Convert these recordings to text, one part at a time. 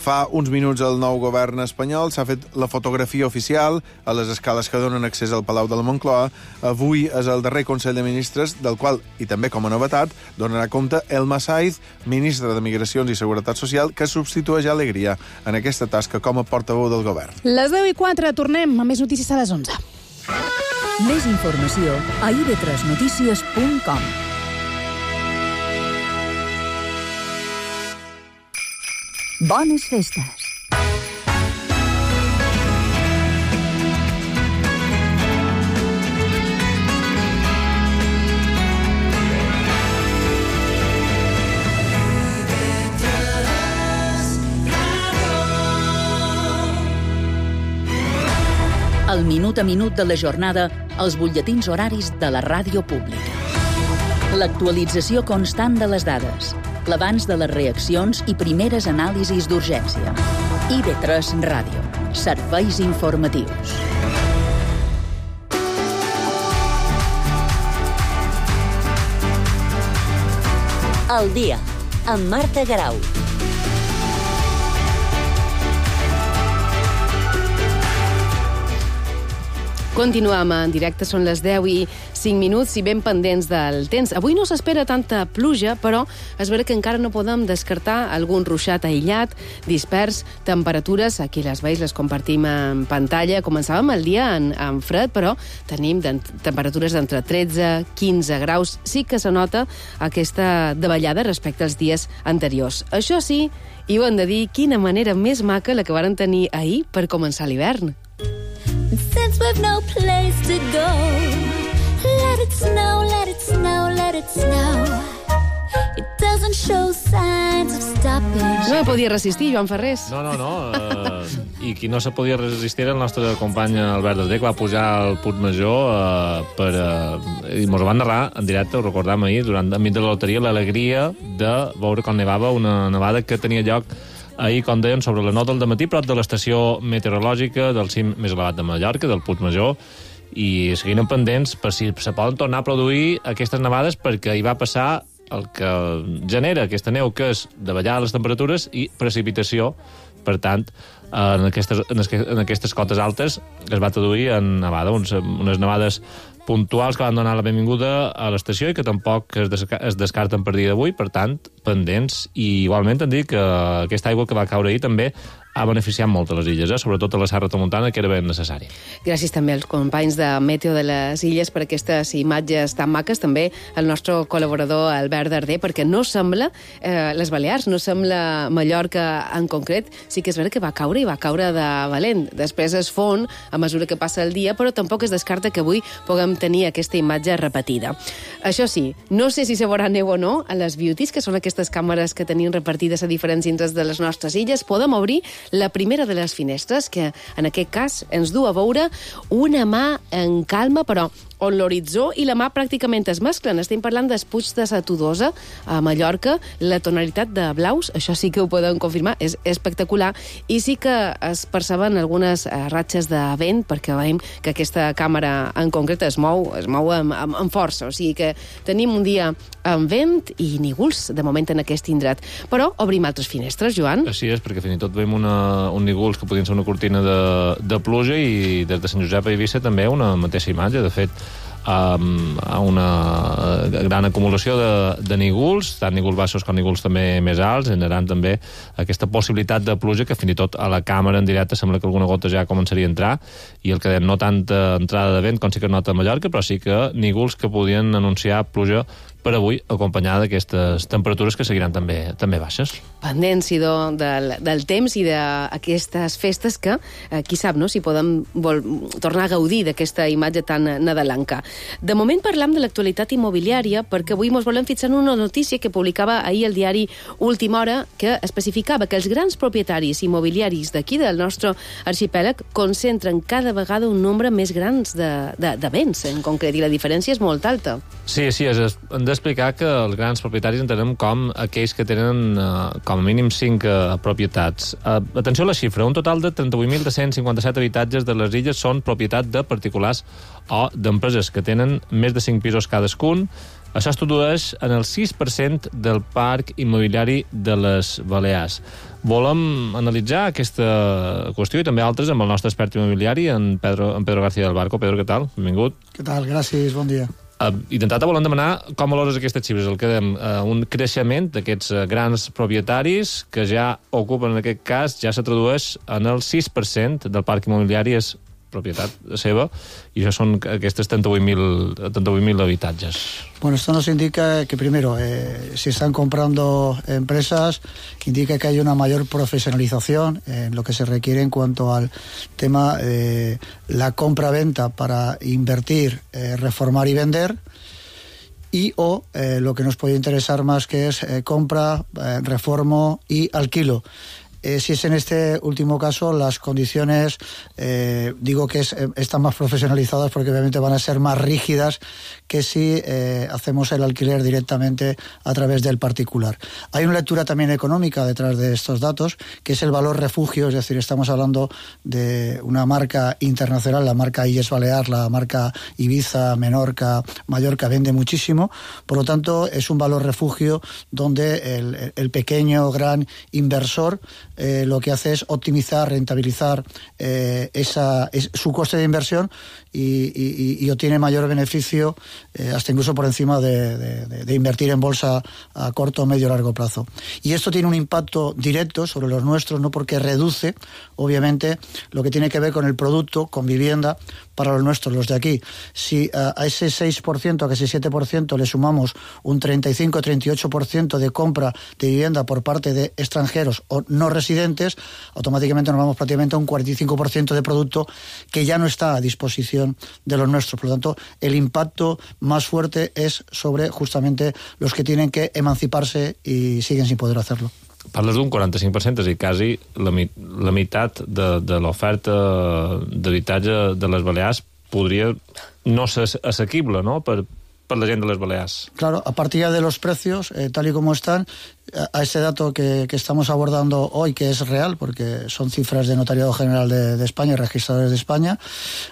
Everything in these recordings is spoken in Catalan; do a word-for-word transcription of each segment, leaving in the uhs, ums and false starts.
Fa uns minuts el nou govern espanyol s'ha fet la fotografia oficial a les escales que donen accés al Palau de la Moncloa. Avui és el darrer Consell de Ministres, del qual, i també com a novetat, donarà compte Elma Saiz, ministre de Migracions i Seguretat Social, que substitueix Alegria en aquesta tasca com a portaveu del govern. Les deu i quatre, tornem amb més notícies a les onze. Més informació a i ve tres notícies punt com. Bones festes. El minut a minut de la jornada als butlletins horaris de la ràdio pública. L'actualització constant de les dades, l'abans de les reaccions i primeres anàlisis d'urgència. i ve tres Ràdio. Serveis informatius. El dia, amb Marta Garau. Continuem en directe, són les deu i cinc minuts i ben pendents del temps. Avui no s'espera tanta pluja, però és vera que encara no podem descartar algun ruixat aïllat, dispers, temperatures, aquí les veus, les compartim en pantalla. Començàvem el dia en, en fred, però tenim temperatures d'entre tretze i quinze graus. Sí que se nota aquesta davallada respecte als dies anteriors. Això sí, i ho hem de dir, quina manera més maca la que varen tenir ahir per començar l'hivern. Since we've no place to go, let it snow, let it snow, let it snow. It doesn't show signs of stoppage. No me podia resistir, Joan Ferrés. No, no, no. Uh, I qui no se podia resistir era el nostre company Albert Darder, que va pujar al Puig Major uh, per... Uh, i mos ho van narrar en directe, ho recordàvem ahir, durant enmig de la loteria, l'alegria de veure com nevava, una nevada que tenia lloc ahir, com deien, sobre les nou del dematí, prop de l'estació meteorològica del cim més elevat de Mallorca, del Puig Major, i seguint pendents per si se poden tornar a produir aquestes nevades, perquè hi va passar el que genera aquesta neu, que és davallar les temperatures i precipitació. Per tant, en aquestes, en aquestes cotes altes es va traduir en nevada, uns, unes nevades puntuals que van donar la benvinguda a l'estació i que tampoc es, desca es descarten per dia d'avui, per tant, pendents. I igualment hem dit que aquesta aigua que va caure ahir també ha beneficiat molt a les illes, eh? Sobretot a la Serra Tramuntana, que era ben necessari. Gràcies també als companys de Meteo de les Illes per aquestes imatges tan maques, també al nostre col·laborador Albert Darder, perquè no sembla eh, les Balears, no sembla Mallorca en concret, sí que és vera que va caure i va caure de valent. Després es fon a mesura que passa el dia, però tampoc es descarta que avui puguem tenir aquesta imatge repetida. Això sí, no sé si se veurà neu o no a les Beauties, que són aquestes càmeres que tenim repartides a diferents indrets de les nostres illes. Podem obrir la primera de les finestres, que en aquest cas ens du a veure una mà en calma, però on l'horitzó i la mà pràcticament es mesclen. Estem parlant dels Puigs de Satodosa, a Mallorca. La tonalitat de blaus, això sí que ho podem confirmar, és espectacular, i sí que es perceben algunes ratxes de vent, perquè veiem que aquesta càmera en concret es mou, es mou amb, amb, amb força, o sigui que tenim un dia amb vent i nígols, de moment, en aquest indret. Però obrim altres finestres, Joan. Així és, perquè fins i tot veiem una, un nígols que podien ser una cortina de, de pluja, i des de Sant Josep a Eivissa també una mateixa imatge. De fet, Um, a una gran acumulació de, de nígols, tant nígols baixos com nígols també més alts, generant també aquesta possibilitat de pluja que fins i tot a la càmera en directe sembla que alguna gota ja començaria a entrar, i el que deien, no tanta entrada de vent com sí que nota a Mallorca, però sí que nígols que podien anunciar pluja per avui, acompanyada d'aquestes temperatures que seguiran també, també baixes. Pendents, idò, del, del temps i d'aquestes festes que, eh, qui sap, no?, si podem vol, tornar a gaudir d'aquesta imatge tan nadalenca. De moment parlam de l'actualitat immobiliària, perquè avui ens volem fixar en una notícia que publicava ahir el diari Última Hora, que especificava que els grans propietaris immobiliaris d'aquí, del nostre arxipèlag, concentren cada vegada un nombre més grans de, de, de béns, en concret, i la diferència és molt alta. Sí, sí, és, hem d'explicar que els grans propietaris entenem com aquells que tenen eh, com a mínim cinc eh, propietats. Eh, atenció a la xifra, un total de trenta-vuit mil dos-cents cinquanta-set habitatges de les illes són propietat de particulars o d'empreses que tenen més de cinc pisos cadascun, Això es tradueix en el sis per cent del parc immobiliari de les Balears. Volem analitzar aquesta qüestió i també altres amb el nostre expert immobiliari, en Pedro, en Pedro García del Barco. Pedro, què tal? Benvingut. Què tal? Gràcies, bon dia. Uh, I d'entrada volem demanar com valores aquestes xifres. El que dèiem, uh, un creixement d'aquests uh, grans propietaris que ja ocupen, en aquest cas, ja se tradueix en el sis per cent del parc immobiliari és propietat seva, y eso son estos treinta y ocho mil habitatges. Bueno, esto nos indica que primero, eh, si están comprando empresas, indica que hay una mayor profesionalización en lo que se requiere en cuanto al tema de la compra-venta para invertir, eh, reformar y vender, y o eh, lo que nos puede interesar más, que es eh, compra, eh, reformo y alquilo. Eh, si es en este último caso, las condiciones, eh, digo que es, eh, están más profesionalizadas porque obviamente van a ser más rígidas que si eh, hacemos el alquiler directamente a través del particular. Hay una lectura también económica detrás de estos datos, que es el valor refugio, es decir, estamos hablando de una marca internacional, la marca Illes Balears, la marca Ibiza, Menorca, Mallorca, vende muchísimo, por lo tanto es un valor refugio donde el, el pequeño, gran inversor Eh, lo que hace es optimizar, rentabilizar eh, esa, es, su coste de inversión y, y, y obtiene mayor beneficio, eh, hasta incluso por encima de, de, de invertir en bolsa a corto, medio, largo plazo. Y esto tiene un impacto directo sobre los nuestros, no porque reduce, obviamente, lo que tiene que ver con el producto, con vivienda, para los nuestros, los de aquí. Si uh, a ese seis por ciento, a ese siete por ciento le sumamos un treinta y cinco a treinta y ocho por ciento de compra de vivienda por parte de extranjeros o no residentes, automáticamente nos vamos prácticamente a un cuarenta y cinco por ciento de producto que ya no está a disposición de los nuestros. Por lo tanto, el impacto más fuerte es sobre justamente los que tienen que emanciparse y siguen sin poder hacerlo. Parles d'un quaranta-cinc per cent, és a dir, quasi la, la meitat de, de l'oferta d'habitatge de les Balears podria no ser assequible, no?, per, per la gent de les Balears. Claro, a partir de los precios, eh, tal y como están, a ese dato que, que estamos abordando hoy, que es real, porque son cifras de Notariado General de, de España, registradores de España,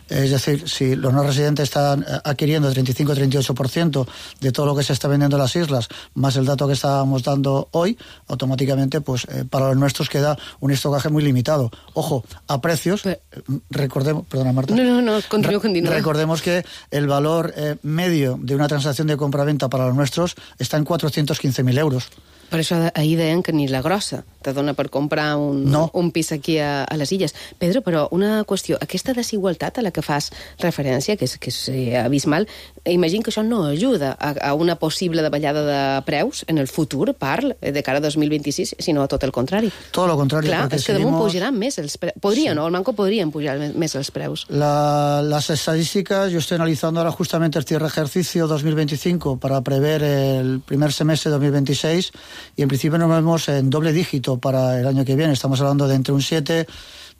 es decir, si los no residentes están adquiriendo el treinta y cinco a treinta y ocho por ciento de todo lo que se está vendiendo en las islas, más el dato que estábamos dando hoy, automáticamente, pues eh, para los nuestros queda un estocaje muy limitado. Ojo, a precios, Pero... recordemos, perdona Marta. No, no, no, continúo, continúo. Recordemos que el valor eh, medio de una transacción de compra-venta para los nuestros está en cuatrocientos quince mil euros. Per això ahir deien que ni la grossa te dona per comprar un, no. un pis aquí a, a les Illes. Pedro, però una qüestió, aquesta desigualtat a la que fas referència, que és, que és abismal, imagino que això no ajuda a, a una possible davallada de preus en el futur, parl, de cara a dos mil vint-i-sis, sinó tot el contrari. Todo lo contrario. Clar, és que seguimos... damunt pujaran més els preus. Podrien, sí. O el Banco podrien pujar més els preus. La, las estadísticas, yo estoy analizando ahora justamente el cierre ejercicio dos mil veinticinco para prever el primer semestre de dos mil veintiséis, y en principio nos vemos en doble dígito para el año que viene. Estamos hablando de entre un siete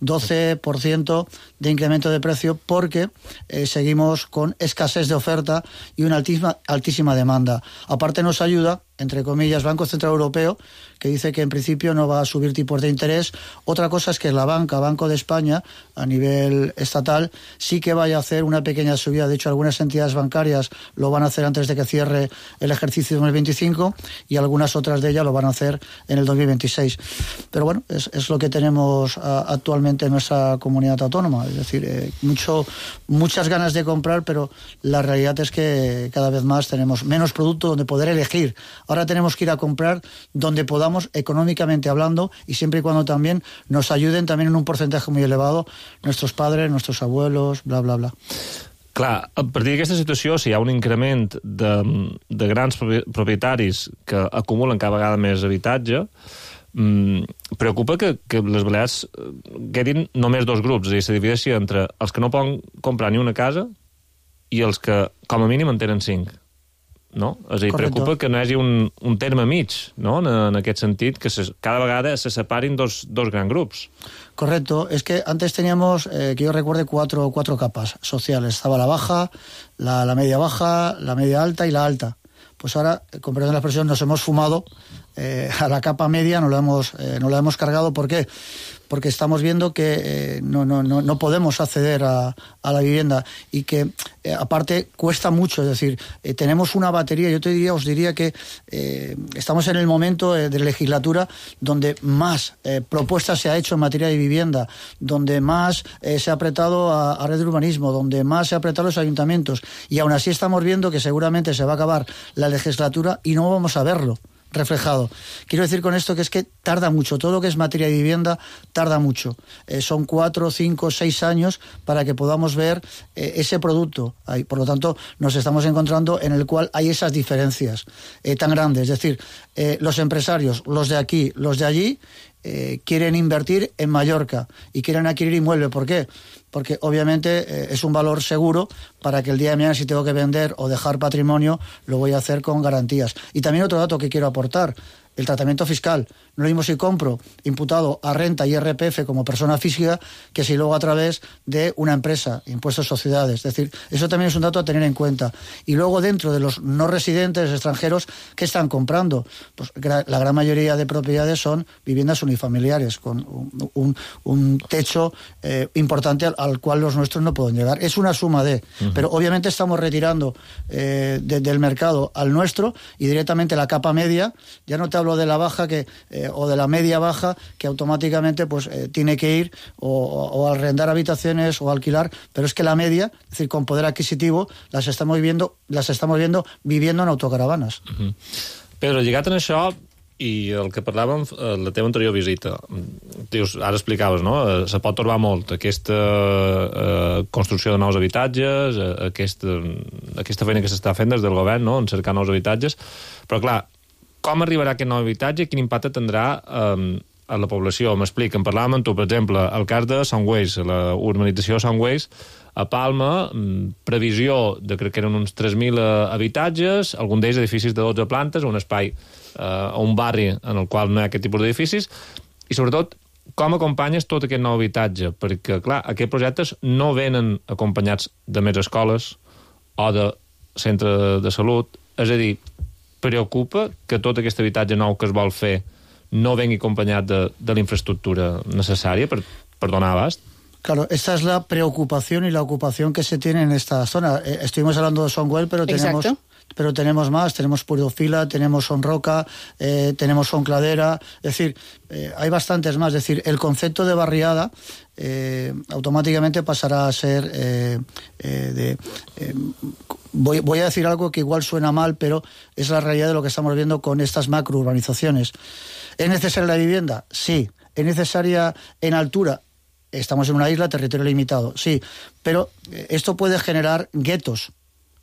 doce por ciento de incremento de precio porque eh, seguimos con escasez de oferta y una altísima, altísima demanda. Aparte nos ayuda, entre comillas, Banco Central Europeo, que dice que en principio no va a subir tipos de interés. Otra cosa es que la banca, Banco de España, a nivel estatal, sí que vaya a hacer una pequeña subida. De hecho, algunas entidades bancarias lo van a hacer antes de que cierre el ejercicio dos mil veinticinco y algunas otras de ellas lo van a hacer en el dos mil veintiséis. Pero bueno, es, es lo que tenemos uh, actualmente en nuestra comunidad autónoma. Es decir, eh, mucho, muchas ganas de comprar, pero la realidad es que cada vez más tenemos menos producto donde poder elegir. Ahora tenemos que ir a comprar donde podamos, económicamente hablando, y siempre y cuando también nos ayuden también en un porcentaje muy elevado nuestros padres, nuestros abuelos, bla, bla, bla. Clar, a partir d'aquesta situació, si hi ha un increment de, de grans propietaris que acumulen cada vegada més habitatge, mmm, preocupa que, que les Balears quedin només dos grups, és a dir, se divideixi entre els que no poden comprar ni una casa i els que, com a mínim, en tenen cinc. No? És a dir, Correcto. Preocupa que no hi hagi un, un terme mig, no?, en, en aquest sentit, que se, cada vegada se separin dos, dos grans grups. Correcto. Es que antes teníamos, eh, que yo recuerde, cuatro, cuatro capas sociales. Estaba la baja, la, la media baja, la media alta y la alta. Pues ahora, con perdón de la expresión, nos hemos fumado eh, a la capa media no lo hemos, eh, no lo hemos cargado. ¿Por qué? Porque estamos viendo que eh, no, no, no, no podemos acceder a, a la vivienda y que eh, aparte cuesta mucho, es decir, eh, tenemos una batería, yo te diría, os diría que eh, estamos en el momento eh, de legislatura donde más eh, propuestas se ha hecho en materia de vivienda, donde más eh, se ha apretado a, a red de urbanismo, donde más se ha apretado a los ayuntamientos, y aún así estamos viendo que seguramente se va a acabar la legislatura y no vamos a verlo reflejado. Quiero decir con esto que es que tarda mucho, todo lo que es materia de vivienda tarda mucho. Eh, son cuatro, cinco, seis años para que podamos ver eh, ese producto. Ahí, por lo tanto, nos estamos encontrando en el cual hay esas diferencias eh, tan grandes. Es decir, eh, los empresarios, los de aquí, los de allí, eh, quieren invertir en Mallorca y quieren adquirir inmueble. ¿Por qué? Porque obviamente eh, es un valor seguro para que el día de mañana, si tengo que vender o dejar patrimonio, lo voy a hacer con garantías. Y también otro dato que quiero aportar, el tratamiento fiscal. No lo mismo si compro imputado a renta y I R P F como persona física que si luego a través de una empresa, impuestos sociedades. Es decir, eso también es un dato a tener en cuenta. Y luego dentro de los no residentes extranjeros, ¿qué están comprando? Pues la gran mayoría de propiedades son viviendas unifamiliares con un, un, un techo eh, importante al, al cual los nuestros no pueden llegar. Es una suma de... Uh-huh. Pero obviamente estamos retirando eh, de, del mercado al nuestro y directamente la capa media. Ya no te hablo de la baja que eh, o de la media baja que automáticamente pues eh, tiene que ir o, o arrendar habitaciones o alquilar, pero es que la media, es decir, con poder adquisitivo, las estamos viendo, las estamos viendo viviendo en autocaravanes. Uh-huh. Pedro, lligat en això i el que parlàvem eh, la teva anterior visita, dius, ara explicaves, no? Eh, se pot trobar molt aquesta eh, construcció de nous habitatges, eh, aquesta, aquesta feina que s'està fent des del govern, no?, en cercar nous habitatges, però clar, com arribarà aquest nou habitatge i quin impacte tindrà eh, a la població? M'explica, en parlàvem amb tu, per exemple, el cas de Songways, la urbanització Songways, a Palma, previsió de, crec que eren uns tres mil habitatges, algun d'ells edificis de dotze plantes, un espai, eh, un barri en el qual no hi ha aquest tipus d'edificis, i sobretot, com acompanyes tot aquest nou habitatge? Perquè, clar, aquests projectes no venen acompanyats de més escoles o de centre de salut, és a dir, preocupa que tot aquest habitatge nou que es vol fer no vengui acompanyat de, de la infraestructura necessària per, per donar abast? Claro, esta es la preocupación y la ocupación que se tiene en esta zona. Eh, estuvimos hablando de Songwell, pero tenemos... Exacto. Pero tenemos más, tenemos Puridofila, tenemos Sonroca, eh, tenemos Soncladera, es decir, eh, hay bastantes más. Es decir, el concepto de barriada eh, automáticamente pasará a ser eh, eh, de... Eh, voy, voy a decir algo que igual suena mal, pero es la realidad de lo que estamos viendo con estas macrourbanizaciones. ¿Es necesaria la vivienda? Sí. ¿Es necesaria en altura? Estamos en una isla, territorio limitado, sí. Pero eh, esto puede generar guetos.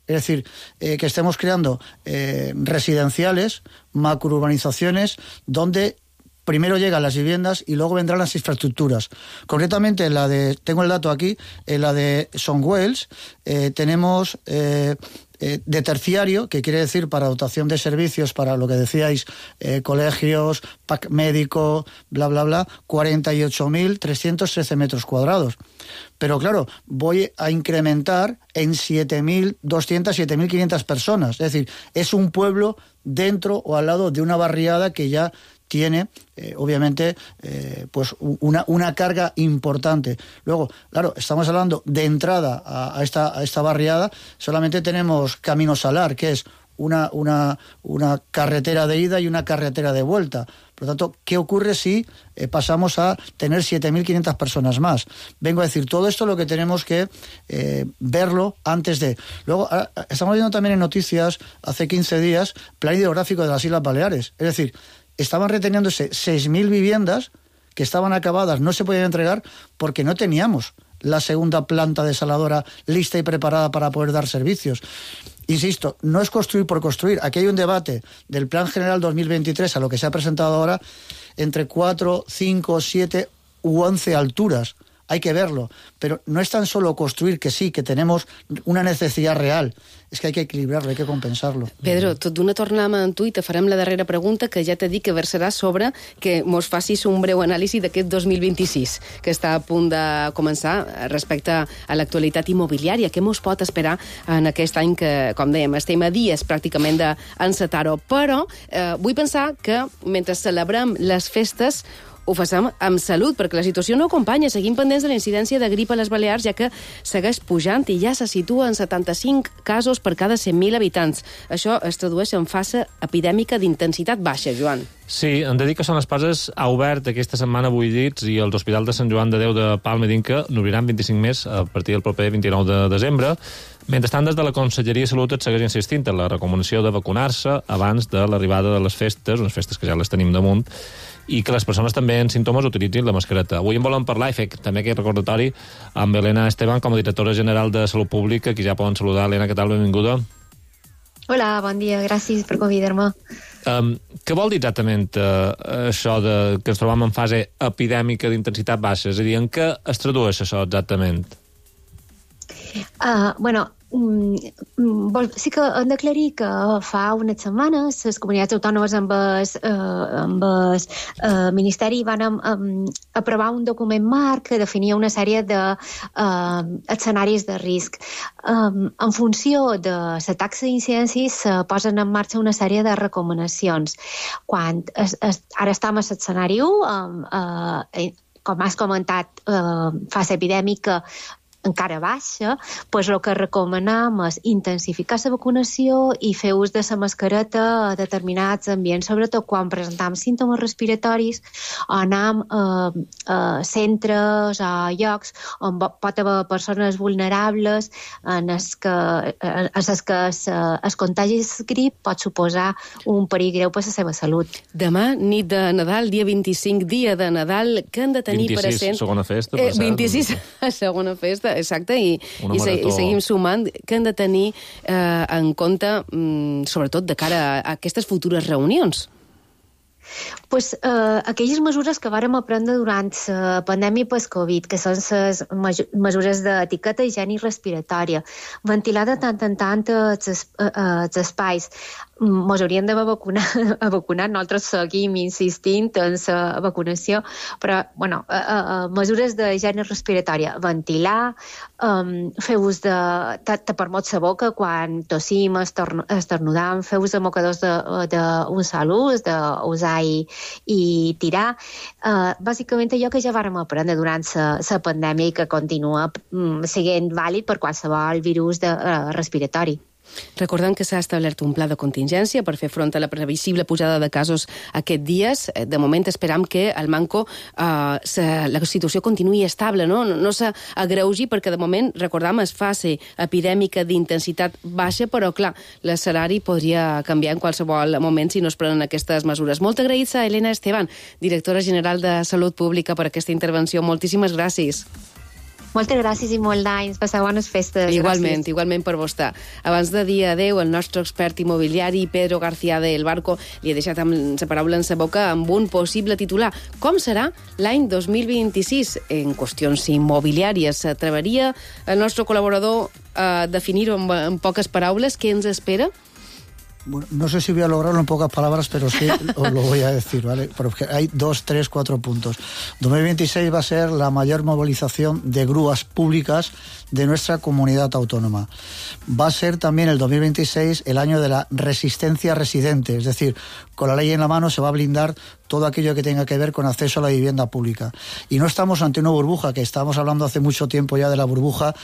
Es decir, eh, que estemos creando eh, residenciales, macrourbanizaciones, donde primero llegan las viviendas y luego vendrán las infraestructuras. Concretamente, en la de, tengo el dato aquí, en la de Songwells, eh, tenemos eh, eh, de terciario, que quiere decir para dotación de servicios, para lo que decíais, eh, colegios, pack médico, bla, bla, bla, cuarenta y ocho mil trescientos trece metros cuadrados. Pero claro, voy a incrementar en siete mil doscientas, siete mil quinientas personas. Es decir, es un pueblo dentro o al lado de una barriada que ya tiene, eh, obviamente, eh, pues una, una carga importante. Luego, claro, estamos hablando de entrada a, a, esta, a esta barriada, solamente tenemos Camino Salar, que es una, una, una carretera de ida y una carretera de vuelta. Por lo tanto, ¿qué ocurre si eh, pasamos a tener siete mil quinientas personas más? Vengo a decir, todo esto lo que tenemos que eh, verlo antes de... Luego, ahora, estamos viendo también en noticias, hace quince días, plan hidrográfico de las Islas Baleares. Es decir, estaban reteniéndose seis mil viviendas que estaban acabadas, no se podían entregar porque no teníamos la segunda planta desaladora lista y preparada para poder dar servicios. Insisto, no es construir por construir. Aquí hay un debate del Plan General dos mil veintitrés a lo que se ha presentado ahora entre cuatro, cinco, siete u once alturas. hay que verlo, pero no es tan solo construir, que sí, que tenemos una necesidad real, és que hay que equilibrarlo, hay que compensarlo. Pedro, tot d'una tornem en tu i te farem la darrera pregunta, que ja t'he dit que versarà sobre que mos facis un breu anàlisi d'aquest dos mil vint-i-sis, que està a punt de començar respecte a l'actualitat immobiliària. Què mos pot esperar en aquest any que, com dèiem, estem a dies pràcticament d'encetar-ho? Però eh, vull pensar que mentre celebrem les festes ho facem amb salut, perquè la situació no acompanya. Seguim pendents de la incidència de grip a les Balears, ja que segueix pujant i ja se situa en setanta-cinc casos per cada cent mil habitants. Això es tradueix en fase epidèmica d'intensitat baixa, Joan. Sí, hem de dir que Son Espases ha obert aquesta setmana vuit llits i els hospitals de Sant Joan de Déu de Palma i d'Inca n'obriran vint-i-cinc més a partir del proper vint-i-nou de desembre. Mentrestant, des de la Conselleria de Salut es segueix insistint en la recomanació de vacunar-se abans de l'arribada de les festes, unes festes que ja les tenim damunt, i que les persones també en símptomes utilitzin la mascareta. Avui en volem parlar i fer també aquest recordatori amb Elena Esteban, com a directora general de Salut Pública, qui ja poden saludar. Elena, què tal? Benvinguda. Hola, bon dia, gràcies per convidar-me. Um, què vol dir exactament uh, això de que ens trobem en fase epidèmica d'intensitat baixa? És a dir, en què es tradueix això exactament? Uh, bueno, sí que hem d'aclarir que fa unes setmanes les comunitats autònomes amb el, eh, amb el eh, Ministeri van um, aprovar un document marc que definia una sèrie d'escenaris de, uh, de risc. Um, en funció de la taxa d'incidència se posen en marxa una sèrie de recomanacions. Quan es, es, ara estem a l'escenari u, um, uh, com has comentat, uh, fase epidèmica encara baixa, doncs el que recomanem és intensificar la vacunació i fer ús de la mascareta a determinats ambients, sobretot quan presentem símptomes respiratoris o anem a, a centres o llocs on pot haver persones vulnerables en els que, en els que es, es contagi el grip pot suposar un perill greu per la seva salut. Demà, nit de Nadal, dia vint-i-cinc, dia de Nadal, que han de tenir vint-i-sis, present... segona festa. Eh, vint-i-sis, segona festa, exacte, i, i, se, i seguim sumant, que han de tenir eh, en compte, mm, sobretot de cara a, a aquestes futures reunions. Pues, eh, aquelles mesures que vàrem aprendre durant la pandèmia post-Covid, que són les mesures d'etiqueta, higiene respiratòria, ventilar de tant en tant els, els espais, ens hauríem d'haver vacunat, vacunat, nosaltres seguim insistint en la vacunació, però, bueno, eh, eh, mesures d'higiene respiratòria, ventilar, um, fer ús de tapar-nos la boca quan tossim, esternudam, fer ús de mocadors d'un sol ús, d'usar i, i tirar. Uh, bàsicament allò que ja vàrem aprendre durant la pandèmia i que continua um, sent vàlid per qualsevol virus de, uh, respiratori. Recordem que s'ha establert un pla de contingència per fer front a la previsible pujada de casos aquests dies. De moment esperam que al Manco eh, se, la situació continuï estable, no, no, no s'agreugi, perquè de moment, recordem, es fase epidèmica d'intensitat baixa, però clar, l'escenari podria canviar en qualsevol moment si no es prenen aquestes mesures. Molt agraïts a Elena Esteban, directora general de Salut Pública, per aquesta intervenció. Moltíssimes gràcies. Moltes gràcies i molt d'anys. Passeu bones festes. Igualment, gràcies. igualment per vostè. Abans de dir adeu, el nostre expert immobiliari, Pedro García del Barco, li ha deixat amb la paraula en sa boca amb un possible titular. Com serà l'any dos mil vint-i-sis en qüestions immobiliàries? S'atreveria el nostre col·laborador a definir-ho en, en poques paraules? Què ens espera? Bueno, no sé si voy a lograrlo en pocas palabras, pero sí os lo voy a decir, ¿vale? Porque hay dos, tres, cuatro puntos. dos mil veintiséis va a ser la mayor movilización de grúas públicas de nuestra comunidad autónoma. Va a ser también el dos mil veintiséis el año de la resistencia residente, es decir, con la ley en la mano se va a blindar todo aquello que tenga que ver con acceso a la vivienda pública. Y no estamos ante una burbuja, que estábamos hablando hace mucho tiempo ya de la burbuja.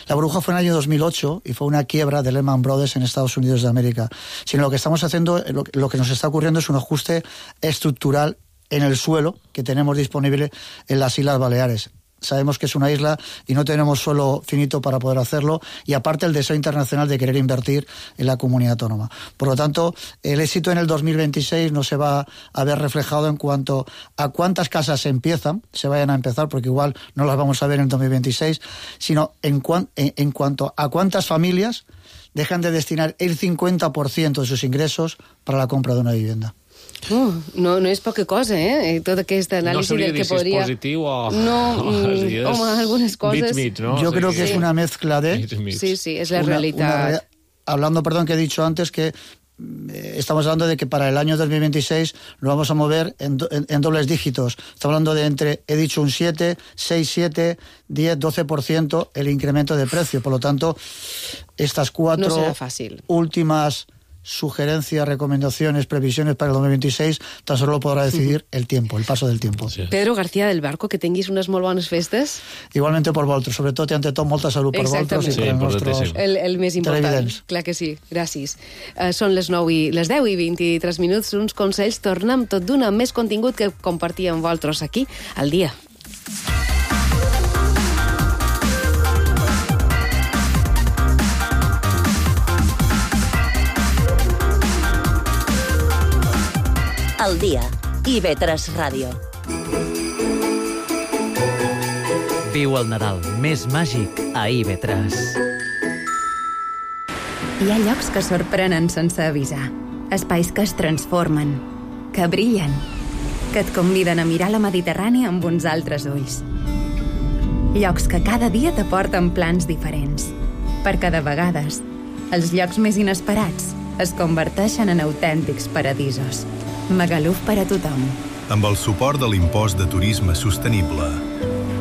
La burbuja fue en el año dos mil ocho y fue una quiebra de Lehman Brothers en Estados Unidos de América. Sino lo que estamos haciendo, lo, lo que nos está ocurriendo es un ajuste estructural en el suelo que tenemos disponible en las Islas Baleares. Sabemos que es una isla y no tenemos suelo finito para poder hacerlo, y aparte el deseo internacional de querer invertir en la comunidad autónoma. Por lo tanto, el éxito en el dos mil veintiséis no se va a ver reflejado en cuanto a cuántas casas se empiezan, se vayan a empezar, porque igual no las vamos a ver en el dos mil veintiséis, sino en, cuan, en, en cuanto a cuántas familias dejan de destinar el cincuenta por ciento de sus ingresos para la compra de una vivienda. Uh, no, no és poca cosa, eh? Tota aquesta anàlisi no del que podria... No sabria dir si és positiu o... No, o mm, home, algunes cosas... Mig, mig, ¿no? Yo o sea, creo que que... es una mezcla de... Mig, mig. Sí, sí, es la una, realidad. una, hablando, perdón, que he dicho antes que eh, estamos hablando de que para el año dos mil veintiséis lo vamos a mover en, do, en, en dobles dígitos. Estamos hablando de entre, he dicho un siete, seis, siete, diez, doce por ciento el incremento de precio. Por lo tanto, estas cuatro no será fácil. últimas sugerencias, recomendaciones, previsiones para el dos mil veintiséis, tan solo lo podrà decidir uh-huh. el tiempo, el paso del tiempo. Sí. Pedro García del Barco, que tinguis unes molt bones festes. Igualmente por vosaltres, sobretot i ante tot molta salut per vosaltres i Sí, per als nostres el, el més important. televidents. Clar que sí, gràcies. Uh, són les nou i les deu i vint-i-tres minuts, uns consells, tornem tot d'una amb més contingut que compartir amb vosaltres aquí al dia. Al dia, I V tres Ràdio. Viu el Nadal més màgic a I V tres. Hi ha llocs que sorprenen sense avisar. Espais que es transformen, que brillen, que et conviden a mirar la Mediterrània amb uns altres ulls. Llocs que cada dia t'aporten plans diferents. Perquè de vegades, els llocs més inesperats es converteixen en autèntics paradisos. Magaluf per a tothom. Amb el suport de l'impost de turisme sostenible.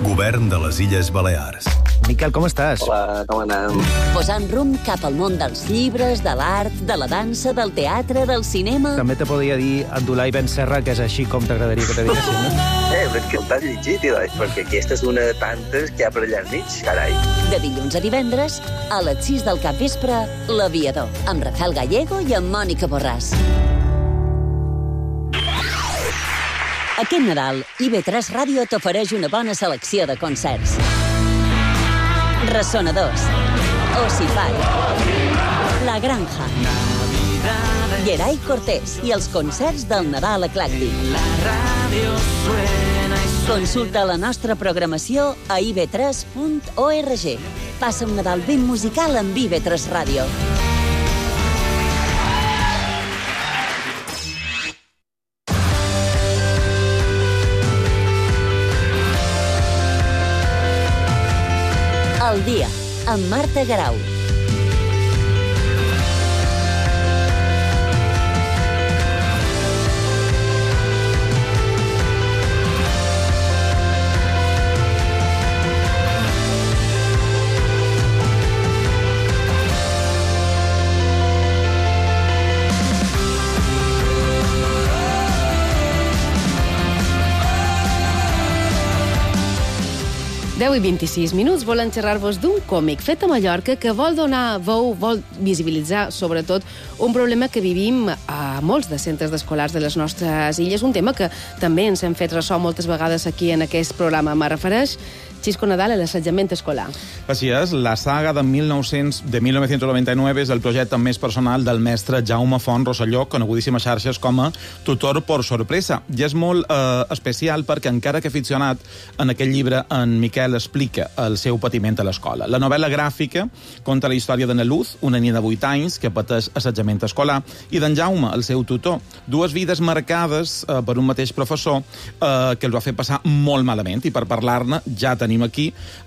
Govern de les Illes Balears. Miquel, com estàs? Hola, com anem? Posant rumb cap al món dels llibres, de l'art, de la dansa, del teatre, del cinema... També te podria dir Abdulai Ben Serra, que és així com t'agradaria que te diguessin, no? Eh, però és que el t'has llegit, Ilai, perquè aquesta és una de tantes que hi ha per allà enmig, carai. De dilluns a divendres, a les sis del capvespre, L'Aviador, amb Rafael Gallego i amb Mònica Borràs. Aquest Nadal, I V tres Ràdio t'ofereix una bona selecció de concerts. Ressonadors, Ossifat, La Granja, Geray Cortés i els concerts del Nadal Eclèctic. Consulta la nostra programació a i v tres punt org. Passa un Nadal ben musical amb I V tres Ràdio. Al dia, amb Marta Garau. deu i vint-i-sis minuts volen xerrar-vos d'un còmic fet a Mallorca que vol donar veu, vol visibilitzar, sobretot, un problema que vivim a molts de centres d'escolars de les nostres illes, un tema que també ens hem fet ressò moltes vegades aquí en aquest programa. Me refereix, Xisco Nadal, a l'assetjament escolar. Així és, la saga de mil nou-cents de mil nou-cents noranta-nou és el projecte més personal del mestre Jaume Font Rosselló, conegudíssim a xarxes com a tutor por sorpresa. I és molt eh, especial perquè, encara que aficionat, en aquest llibre en Miquel explica el seu patiment a l'escola. La novel·la gràfica conta la història d'Anna Luz, una nina de vuit anys que pateix assetjament escolar, i d'en Jaume, el seu tutor. Dues vides marcades eh, per un mateix professor eh, que els va fer passar molt malament, i per parlar-ne ja tenim aquí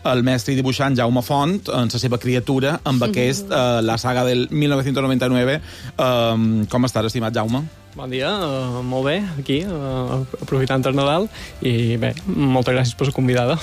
el mestre i dibuixant Jaume Font en la seva criatura amb aquest, eh, la saga del mil nou-cents noranta-nou. Eh, com estàs, estimat Jaume? Bon dia, uh, molt bé, aquí, uh, aprofitant el Nadal, i bé, moltes gràcies per la convidada.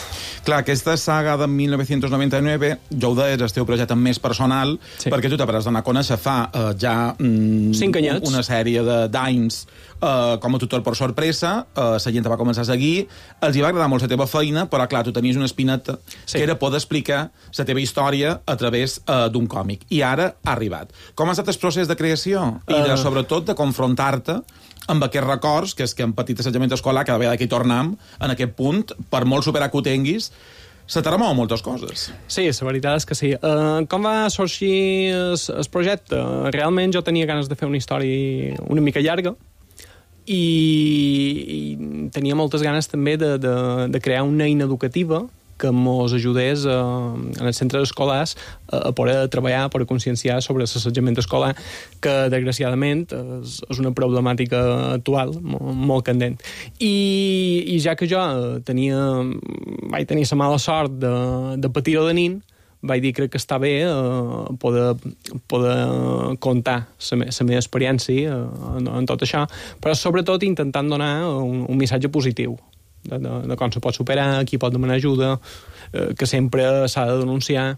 Clar, aquesta saga de mil nou-cents noranta-nou, ja ho deies, el teu projecte més personal, sí, perquè tu t'hauràs d'anar a conèixer fa uh, ja mm, Cinc anyets. una sèrie d'anys uh, com a tutor per sorpresa, uh, la gent te va començar a seguir, els hi va agradar molt la teva feina, però clar, tu tenies una espineta, sí, que era poder explicar la teva història a través uh, d'un còmic, i ara ha arribat. Com ha estat el procés de creació? I de, uh... sobretot de confrontar-te amb aquests records, que és que en petit assetjament escolar, cada vegada que hi tornem, en aquest punt, per molt superar que ho tinguis, se te remou moltes coses. Sí, la veritat és que sí. Uh, com va sorgir el, el projecte? Realment jo tenia ganes de fer una història una mica llarga, i, i tenia moltes ganes també de, de, de crear una eina educativa que mos ajudés a, en els centres escolars a, a poder treballar, per conscienciar sobre l'assetjament escolar, que desgraciadament és, és una problemàtica actual molt, molt candent. I, I ja que jo tenia, vaig tenir la mala sort de, de patir-ho de nin, vaig dir crec que està bé eh, poder, poder contar la me, meva experiència eh, en, en tot això, però sobretot intentant donar un, un missatge positiu de, de, de com se pot superar, qui pot demanar ajuda, eh, que sempre s'ha de denunciar,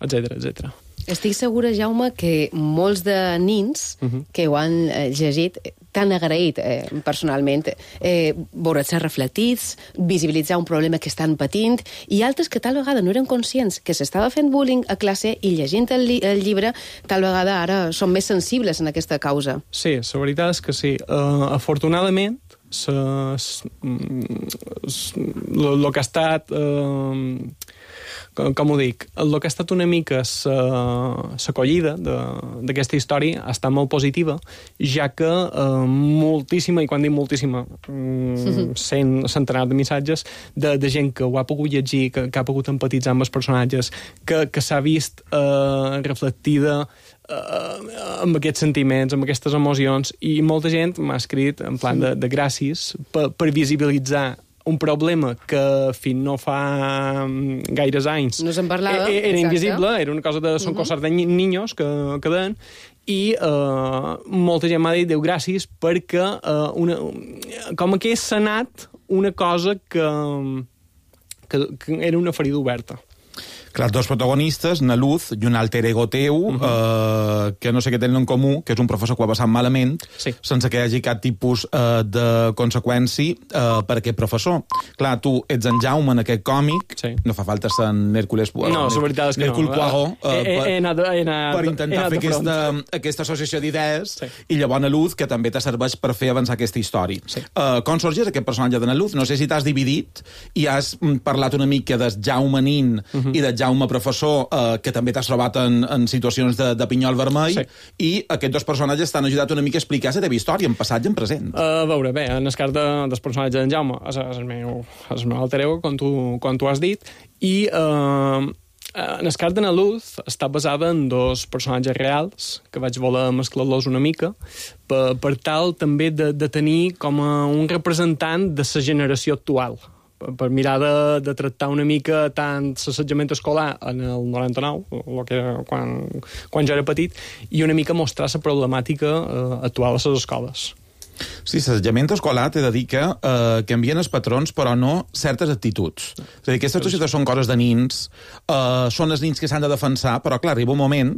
etcètera, etcètera. Estic segura, Jaume, que molts de nins uh-huh. que ho han eh, llegit t'han agraït eh, personalment eh, veure-se reflectits, visibilitzar un problema que estan patint, i altres que tal vegada no eren conscients que s'estava fent bullying a classe i llegint el, li el llibre tal vegada ara són més sensibles en aquesta causa. Sí, la veritat és que sí. Uh, afortunadament, el que ha estat... Uh, com, com ho dic, el que ha estat una mica l'acollida d'aquesta història ha estat molt positiva, ja que eh, moltíssima, i quan dic moltíssima, mm, cent, centenars de missatges de, de gent que ho ha pogut llegir, que, que ha pogut empatitzar amb els personatges, que, que s'ha vist eh, reflectida eh, amb aquests sentiments, amb aquestes emocions, i molta gent m'ha escrit en plan de, de gràcies per, per visibilitzar un problema que fins no fa gaires anys no se'n parlava, era exacte. Invisible, era una cosa de son uh -huh. cosas de niños que, que deien, i uh, molta gent m'ha dit, Déu gràcies, perquè uh, una, com que és sanat una cosa que, que, que era una ferida oberta. Clar, els dos protagonistes, na Luz i un alter ego teu, uh -huh. eh, que no sé què tenen en comú, que és un professor que ho ha passat malament, sí. sense que hi hagi cap tipus eh, de conseqüència eh, per aquest professor. Clar, tu ets en Jaume en aquest còmic, sí. no fa falta ser en Hércules Poirot, no, la veritat és que Hércule no. Poirot, eh, he, he, he anat, he anat, per intentar fer aquesta, aquesta associació d'idees, sí. i llavors na Luz, que també te serveix per fer avançar aquesta història. Sí. Eh, com sorgeix aquest personatge de na Luz? No sé si t'has dividit i has parlat una mica de Jaume nin uh -huh. i de Jaume professor, eh, que també t'has trobat en, en situacions de, de pinyol vermell, sí. i aquests dos personatges t'han ajudat una mica a explicar la teva història, en passat i en present. Uh, a veure, bé, en el cas de, dels personatges d'en Jaume, és, és, el meu, és el meu alter ego, com tu, com tu has dit, i uh, en el cas de na Luz està basada en dos personatges reals, que vaig voler mesclar-los una mica, per, per tal també de, de tenir com a un representant de la generació actual, per mirar de, de tractar una mica tant l'assetjament escolar en el noranta-nou, el que era quan, quan jo era petit, i una mica mostrar la problemàtica eh, actual a les escoles. Sí, l'assetjament escolar t'he de dir que eh, canvien els patrons, però no certes actituds. És a dir, aquestes coses són coses de nins, eh, són els nins que s'han de defensar, però clar, arriba un moment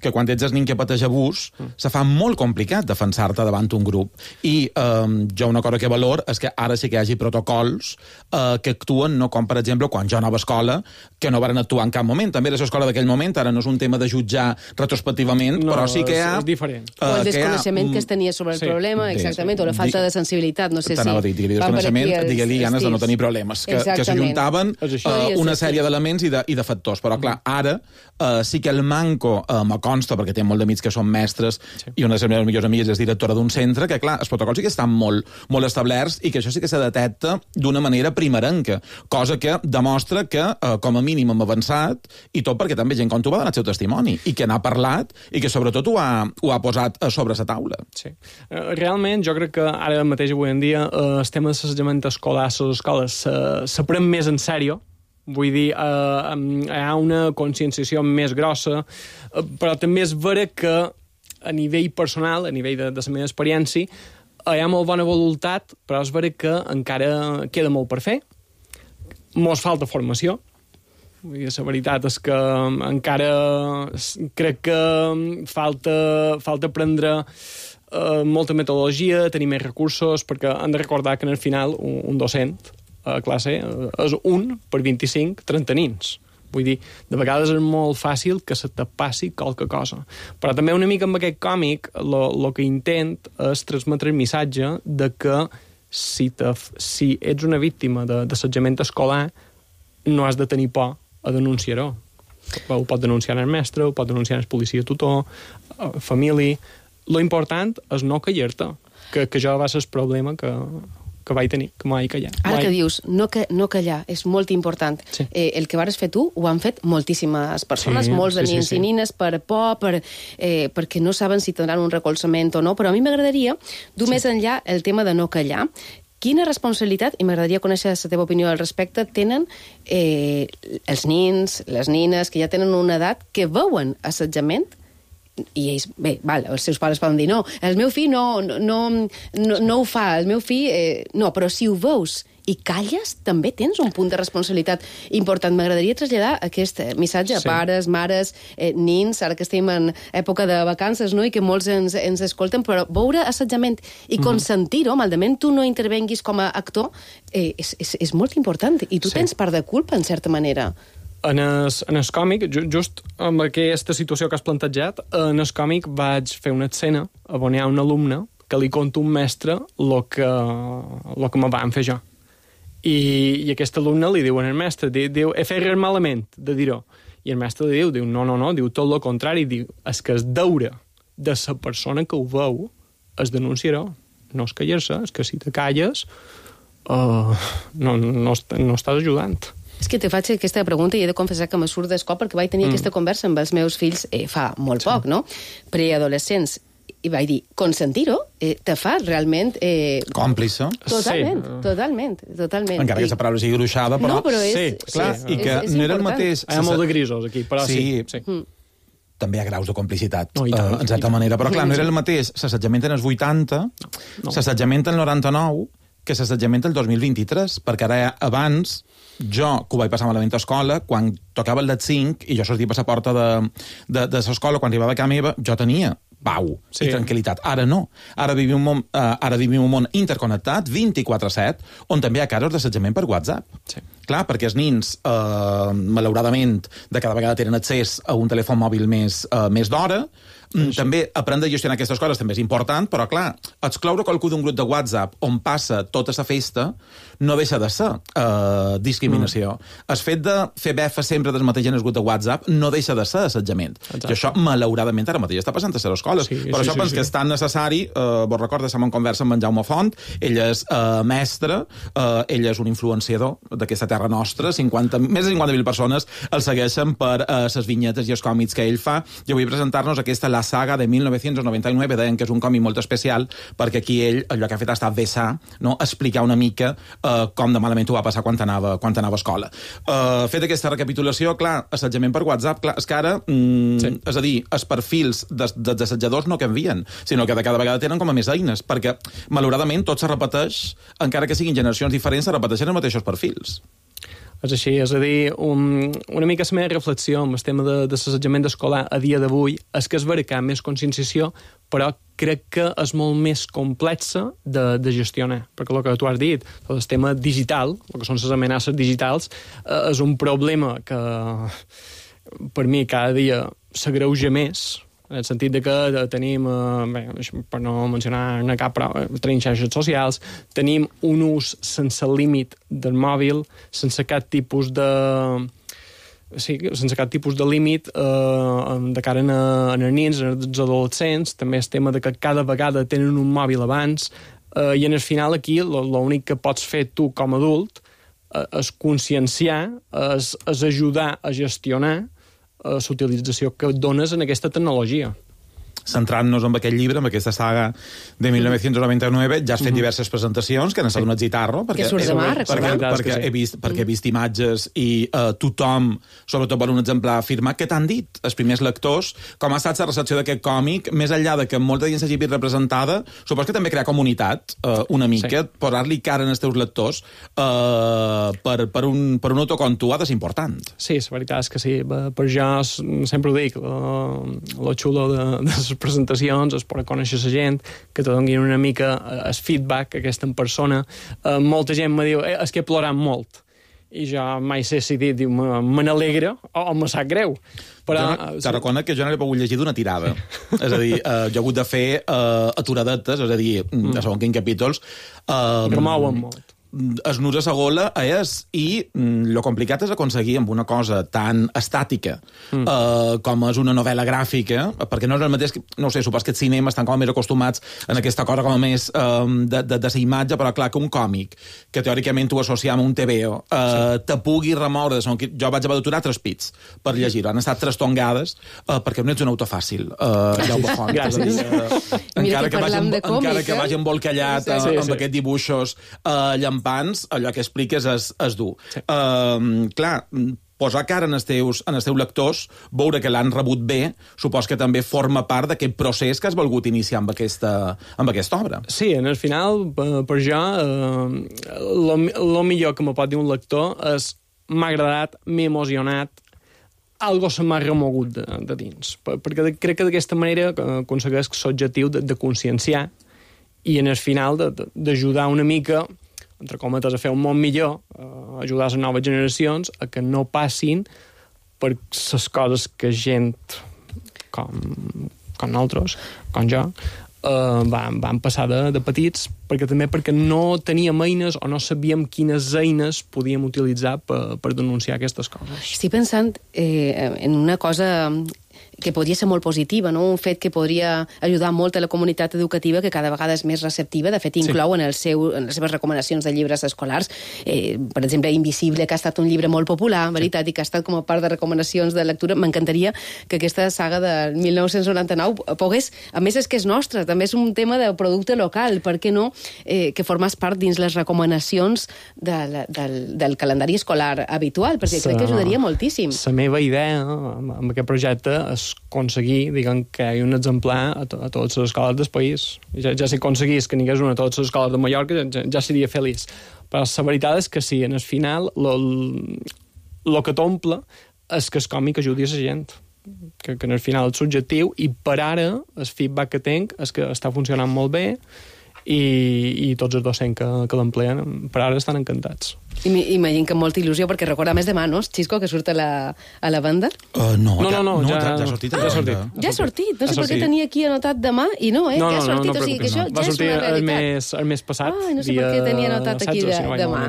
que quan ets el nin que pateix abús, mm. se fa molt complicat defensar-te davant un grup. I eh, jo una cosa que valor és que ara sí que hi hagi protocols eh, que actuen, no com, per exemple, quan jo anava a escola, que no van actuar en cap moment. També era l'escola d'aquell moment, ara no és un tema de jutjar retrospectivament, no, però sí que hi ha... és diferent. Eh, o el desconeixement que, ha, que es tenia sobre el sí, problema, exactament, o la falta de sensibilitat, no sé si... T'anava a dir, digue-li desconeixement, digue-li ganes de no tenir problemes, que, que s'ajuntaven uh, una sèrie d'elements i, de, i de factors. Però, clar, ara uh, sí que el manco uh, me consta, perquè té molt d'amics que són mestres, sí. i una de les meves millors amigues és directora d'un centre, que, clar, els protocols sí que estan molt, molt establerts i que això sí que se detecta d'una manera primerenca, cosa que demostra que, uh, com a mínim, hem avançat, i tot perquè també gent com tu va donar el seu testimoni, i que n'ha parlat, i que sobretot ho ha, ho ha posat sobre la taula. Sí. Uh, realment, jo crec que ara mateix, avui en dia, uh, el tema de l'assetjament escolar a les escoles uh, s'aprèn més en sèrio. Vull dir, uh, hi ha una conscienciació més grossa, uh, però també és vera que a nivell personal, a nivell de, de la meva experiència, uh, hi ha molt bona voluntat, però és vera que encara queda molt per fer. Mos falta formació. Vull dir, la veritat és que encara crec que falta, falta aprendre uh, molta metodologia, tenir més recursos, perquè hem de recordar que en el final un, un docent a classe és un per vint-i-cinc trenta nins. Vull dir, de vegades és molt fàcil que se te passi qualque cosa. Però també una mica amb aquest còmic el que intent és transmetre el missatge de que si, te, si ets una víctima d'assetjament escolar no has de tenir por a denunciar-ho. Ho pot denunciar el mestre, ho pot denunciar el policia tutor, família. Lo important és no callar-te, que, que això va ser el problema que, que vaig tenir, que mai callar. Ara mai... que dius, no, que, no callar, és molt important. Sí. Eh, el que vas fer tu ho han fet moltíssimes persones, sí, molts de sí, nins sí, sí. i nines per por, per, eh, perquè no saben si tindran un recolzament o no, però a mi m'agradaria dur sí. més enllà el tema de no callar. Quina responsabilitat, i m'agradaria conèixer la teva opinió al respecte, tenen eh, els nins, les nines, que ja tenen una edat, que veuen assetjament, i ells, bé, val, els seus pares poden dir no, el meu fill no, no, no, no, no ho fa, el meu fill eh, no, però si ho veus i calles, també tens un punt de responsabilitat important. M'agradaria traslladar aquest missatge a Sí. pares, mares, eh, nins, ara que estem en època de vacances, no?, i que molts ens, ens escolten, però veure assetjament i consentir-ho, malament tu no intervenguis com a actor, eh, és, és, és molt important, i tu Sí. tens part de culpa, en certa manera. En el, en el còmic, ju, just amb aquesta situació que has plantejat, en el còmic vaig fer una escena on hi ha un alumne que li conta un mestre el que, lo que me van fer jo. I, i aquest alumne li diu al mestre, diu, diu he fet res malament de dir-ho. I el mestre li diu, diu, no, no, no, diu tot el contrari, diu, és que és deure de la persona que ho veu es denunciarà, no és callar-se, és que si te calles uh, no, no, no estàs ajudant. És que te faig aquesta pregunta i he de confessar que me surt d'escop perquè vaig tenir mm. aquesta conversa amb els meus fills eh, fa molt sí. poc, no? Preadolescents. I vaig dir, consentir-ho eh, te fa realment... Eh, còmplice. Totalment, sí. totalment, totalment. Encara I... que la paraula sigui gruixada, però... No, però és... Sí, clar, és, i que és, és no era el important. mateix... Hi ha molt de grisos aquí, però sí. sí. sí. Mm. També hi ha graus de complicitat, no, tant, uh, en certa manera. Però, clar, no era el mateix s'assetjament en els vuitanta, no. s'assetjament en el noranta-nou, que s'assetjament el dos mil vint-i-tres, perquè ara abans, jo, que ho vaig passar malament a escola, quan tocava el D E T cinc, i jo sortia per la porta de, de, de l'escola, quan arribava a casa meva, jo tenia pau sí. i tranquil·litat. Ara no. Ara vivim un món, uh, ara vivim un món interconnectat, vint-i-quatre set, on també hi ha casos d'assetjament per WhatsApp. Sí. Clar, perquè els nins, eh, malauradament, de cada vegada tenen accés a un telèfon mòbil més, eh, més d'hora. Mm, també aprendre a gestionar aquestes coses també és important, però, clar, excloure qualcú d'un grup de WhatsApp on passa tota la festa no deixa de ser eh, discriminació. Mm. El fet de fer befa sempre del mateix en el grup de WhatsApp no deixa de ser assetjament. Exacte. I això, malauradament, ara mateix està passant a les escoles. Sí, per sí, això sí, penso sí. que és tan necessari, eh, vos recordo, estem en conversa amb en Jaume Font, ell és eh, mestre, eh, ell és un influenciador d'aquesta terra nostra, cinquanta, més de cinquanta mil persones el segueixen per les eh, vinyetes i els còmics que ell fa, i avui presentar-nos aquesta La saga de mil nou-cents noranta-nou, deien que és un còmic molt especial, perquè aquí ell, allò que ha fet ha estat vessar, no? explicar una mica eh, com de malament ho va passar quan anava, quan anava a escola. Eh, fet aquesta recapitulació, clar, assetjament per WhatsApp, clar, és que ara, mm, sí. és a dir, els perfils dels de, de assetjadors no canvien, sinó que de cada vegada tenen com a més eines, perquè, malauradament, tot se repeteix, encara que siguin generacions diferents, se repeteixen els mateixos perfils. És així, és a dir, un, una mica la meva reflexió amb el tema de, de l'assetjament escolar a dia d'avui és que és vera que hi ha més conscienciació, però crec que és molt més complexa de, de gestionar, perquè el que tu has dit, el tema digital, el que són les amenaces digitals, eh, és un problema que per mi cada dia s'agreuja més, en el sentit de que tenim, eh, bé, per no mencionar cap, però tenim xarxes socials, tenim un ús sense límit del mòbil, sense cap tipus de... Sí, sense cap tipus de límit eh, de cara a, a els nins, als adolescents, també el tema de que cada vegada tenen un mòbil abans, eh, i en el final aquí l'únic que pots fer tu com a adult eh, és conscienciar, és, és ajudar a gestionar la utilització que dones en aquesta tecnologia. Centrant-nos en aquest llibre, en aquesta saga de mil nou-cents noranta-nou, ja has fet Mm-hmm. diverses presentacions que han estat sí. un etzitarro, perquè, que surts demà, perquè, perquè, sí. he vist, perquè he vist imatges i uh, tothom, sobretot per un exemplar, ha afirmat que t'han dit els primers lectors com ha estat la recepció d'aquest còmic, més enllà de que molta gent s'hagi vist representada, supos que també crear comunitat, uh, una mica, sí. posar-li cara als teus lectors uh, per, per, un, per un autor com tu ha de ser important. Sí, la veritat és que sí. Per jo sempre ho dic, lo, lo xulo de, de les presentacions és per conèixer la gent, que te donin una mica el feedback aquesta en persona. Eh, molta gent me diu, eh, és que he plorat molt. I jo mai sé si dir, diu, me n'alegra o, o me sap greu. Però, jo no, te reconec que jo no l'he pogut llegir d'una tirada. És a dir, eh, jo he hagut de fer eh, aturadetes, és a dir, mm. a segons quins capítols... Eh, remouen molt. es nus a sa gola és, i mm, lo complicat és aconseguir amb una cosa tan estàtica mm. eh, com és una novel·la gràfica, perquè no és el mateix, que, no ho sé, supos que els cinemes estan com més acostumats en aquesta cosa com a més eh, de, de, de sa imatge, però clar que un còmic, que teòricament ho associam a un T V O, eh, sí. te pugui remoure, jo vaig haver d'aturar tres pits per llegir-ho, han estat tres tongades, eh, perquè no ets un autor fàcil, eh, Jaume Font. Gràcies. Eh, encara que, vagi, encara que vagi embolcallat sí, sí, amb sí. aquests dibuixos eh, llampants, allò que expliques és, és dur. Sí. Uh, clar, posar cara en els teus, en els teus lectors, veure que l'han rebut bé, supos que també forma part d'aquest procés que has volgut iniciar amb aquesta, amb aquesta obra. Sí, en el final, per, per jo, el millor que me pot dir un lector és m'ha agradat, m'he emocionat, algo se m'ha remogut de, de dins. Perquè crec que d'aquesta manera aconsegueix l'objectiu de, de conscienciar i en el final d'ajudar una mica, entre cometes, a fer un món millor, a ajudar les noves generacions a que no passin per les coses que gent com, com nosaltres, com jo, eh, van, van passar de, de petits, perquè també perquè no teníem eines o no sabíem quines eines podíem utilitzar per, per denunciar aquestes coses. Estic pensant eh, en una cosa que podria ser molt positiva, no? Un fet que podria ajudar molt a la comunitat educativa, que cada vegada és més receptiva. De fet, inclou sí. en, el seu, en les seves recomanacions de llibres escolars, eh, per exemple, Invisible, que ha estat un llibre molt popular, veritat, sí. i que ha estat com a part de recomanacions de lectura. M'encantaria que aquesta saga del mil nou-cents noranta-nou pogués, a més és que és nostra, també és un tema de producte local, per què no, eh, que formàs part dins les recomanacions de la, del, del calendari escolar habitual, perquè Sa... crec que ajudaria moltíssim. La meva idea amb, amb aquest projecte és aconseguir, diguem, que hi hagi un exemplar a, to a totes les escoles del país. Ja, ja si aconseguís que n'hi hagués una a totes les escoles de Mallorca, ja, ja seria feliç. Però la veritat és que sí, en el final, el que t'omple és que el còmic ajudi a la gent. Que, que en el final és subjectiu, i per ara el feedback que tenc és que està funcionant molt bé, i, i tots els docents que, que l'empleen per ara estan encantats. I imagino que amb molta il·lusió, perquè recorda més demà, no, Xisco, que surt a la, a la banda? Uh, no, no, no, no, no, ja, ja, ja ha sortit. Ja ha sortit. Ja ha sortit. No sé per què tenia aquí anotat demà i no, eh? No, ja ha sortit, no, no, o sigui que això no. ja és una realitat. Va sortir el mes, el mes passat. Ah, no sé per què tenia anotat aquí de, demà.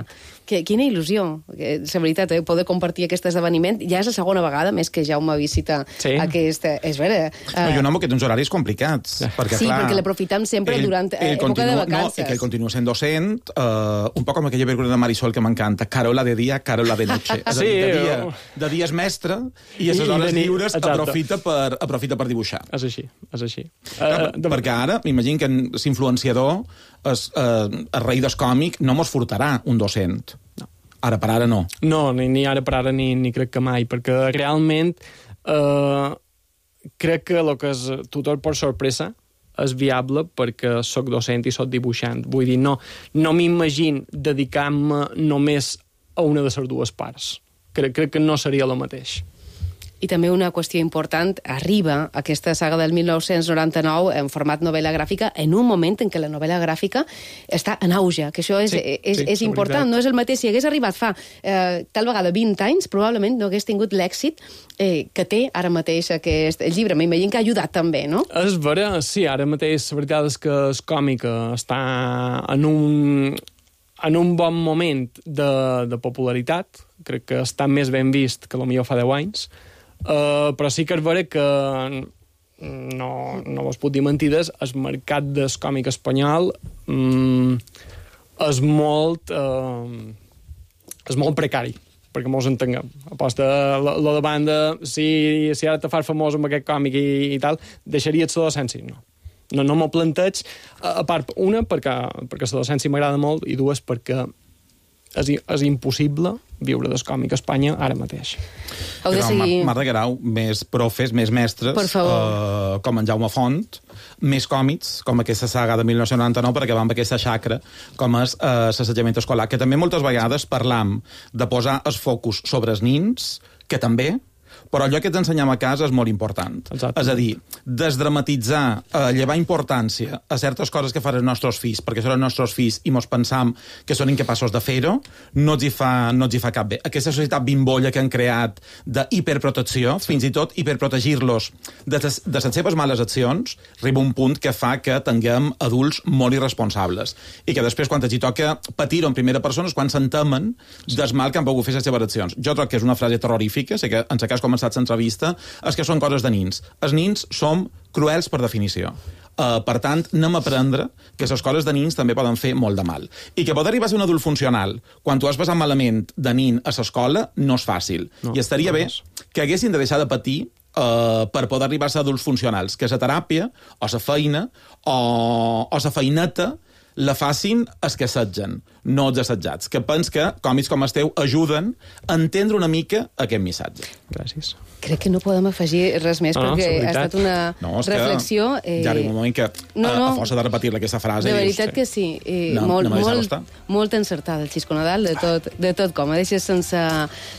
Que, quina il·lusió, la veritat, eh? Poder compartir aquest esdeveniment. Ja és la segona vegada, més que Jaume visita sí. aquesta... És vera. Uh... No, jo no amb aquests horaris complicats. Perquè, sí, clar, perquè l'aprofitem sempre ell, durant ell època continua, de vacances. No, i que ell continua sent docent, uh, un poc com aquella pel·lícula de Marisol que m'encanta, Carola de dia, Carola de noche. És sí, a dir, de dia, de dia és mestre i a les hores lliures aprofita per, aprofita per dibuixar. És així, és així. Clar, uh, perquè ara, m'imagino que l'influenciador, el, uh, el rei del còmic, no mos furtarà un docent. No. Ara per ara no. No, ni, ni ara per ara ni, ni crec que mai, perquè realment eh, crec que el que és tutor per sorpresa és viable perquè soc docent i soc dibuixant. Vull dir, no, no m'imagino dedicar-me només a una de les dues parts. Crec, crec que no seria el mateix. I també una qüestió important, arriba aquesta saga del mil nou-cents noranta-nou en format novel·la gràfica en un moment en què la novel·la gràfica està en auge, que això és, sí, és, sí, és important, veritat. No és el mateix. Si hagués arribat fa eh, tal vegada vint anys, probablement no hagués tingut l'èxit eh, que té ara mateix aquest llibre. M'imagino que ha ajudat també, no? És vera, sí, ara mateix la veritat és que el còmic està en un, en un bon moment de, de popularitat. Crec que està més ben vist que potser fa deu anys. Uh, però sí que és vera que no, no vos puc dir mentides, el mercat del còmic espanyol um, és molt uh, és molt precari, perquè mos entenguem. Aposta lo, lo de banda, si, si ara te fas famós amb aquest còmic i, i tal, deixaries la docència? No. No, no m'ho planteig, a part, una, perquè, perquè la docència m'agrada molt, i dues, perquè és, és impossible viure del còmic a Espanya ara mateix. Heu de seguir... Marta Guerau, més profes, més mestres, eh, com en Jaume Font, més còmics, com aquesta saga de mil nou-cents noranta-nou, perquè va amb aquesta xacra, com és eh, l'assetjament escolar, que també moltes vegades parlam de posar els focus sobre els nins, que també, però allò que t'ensenyem a casa és molt important. Exacte. És a dir, desdramatitzar, eh, llevar importància a certes coses que fan els nostres fills, perquè són els nostres fills i mos pensam que són incapaços de fer-ho, no ens hi fa, no ens hi fa cap bé. Aquesta societat bimbolla que han creat d'hiperprotecció, fins i tot hiperprotegir-los de, de les seves males accions, arriba un punt que fa que tinguem adults molt irresponsables i que després, quan t'hi toca patir-ho en primera persona, és quan s'entemen del mal que han pogut fer les seves accions. Jo trobo que és una frase terrorífica, sé que en cas començat l'entrevista, és que són coses de nins. Els nins som cruels per definició. Uh, per tant, anem a aprendre que les coses de nins també poden fer molt de mal. I que poder arribar a ser un adult funcional quan tu has passat malament de nin a l'escola no és fàcil. No, I estaria no bé que haguessin de deixar de patir Uh, per poder arribar a ser adults funcionals, que la teràpia, o la feina, o, o la feineta la facin els que assetgen, no els assetjats, que pens que còmics com el teu ajuden a entendre una mica aquest missatge. Gràcies. Crec que no podem afegir res més, no, perquè ha estat una no, reflexió... Eh... Ja arriba un moment que, no, no, a, a força de repetir-la, aquesta frase... De veritat dius, que sí. Eh, no, molt, no molt, molt encertada, el Xisco Nadal, de tot, de tot com. A deixes sense,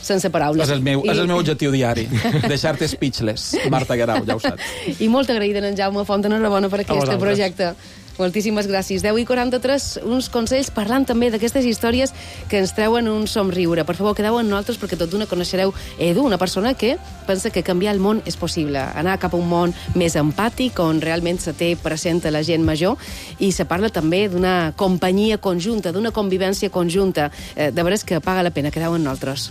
sense paraules. És el meu, I... és el meu objectiu diari, deixar-te speechless, Marta Guerau, ja ho saps. I molt agraïda en Jaume Font, enhorabona per aquest projecte. Moltíssimes gràcies. deu i quaranta-tres, uns consells parlant també d'aquestes històries que ens treuen un somriure. Per favor, quedeu amb nosaltres perquè tot d'una coneixereu Edu, una persona que pensa que canviar el món és possible, anar cap a un món més empàtic, on realment se té present la gent major, i se parla també d'una companyia conjunta, d'una convivència conjunta. Eh, de veres que paga la pena. Quedeu amb nosaltres.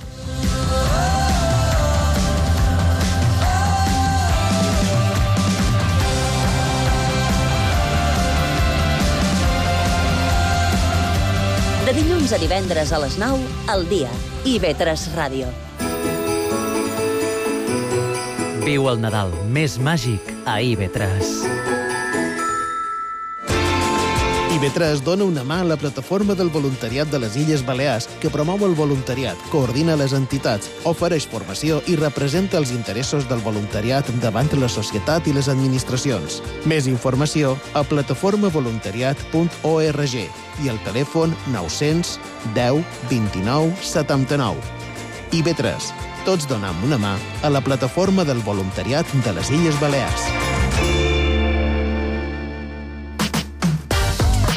De dilluns a divendres a les nou, al dia. I ve tres Ràdio. Viu el Nadal més màgic a I V tres. I V tres dona una mà a la plataforma del voluntariat de les Illes Balears, que promou el voluntariat, coordina les entitats, ofereix formació i representa els interessos del voluntariat davant la societat i les administracions. Més informació a plataforma voluntariat punt org i al telèfon nou-cents deu vint-i-nou setanta-nou. I V tres. Tots donem una mà a la plataforma del voluntariat de les Illes Balears.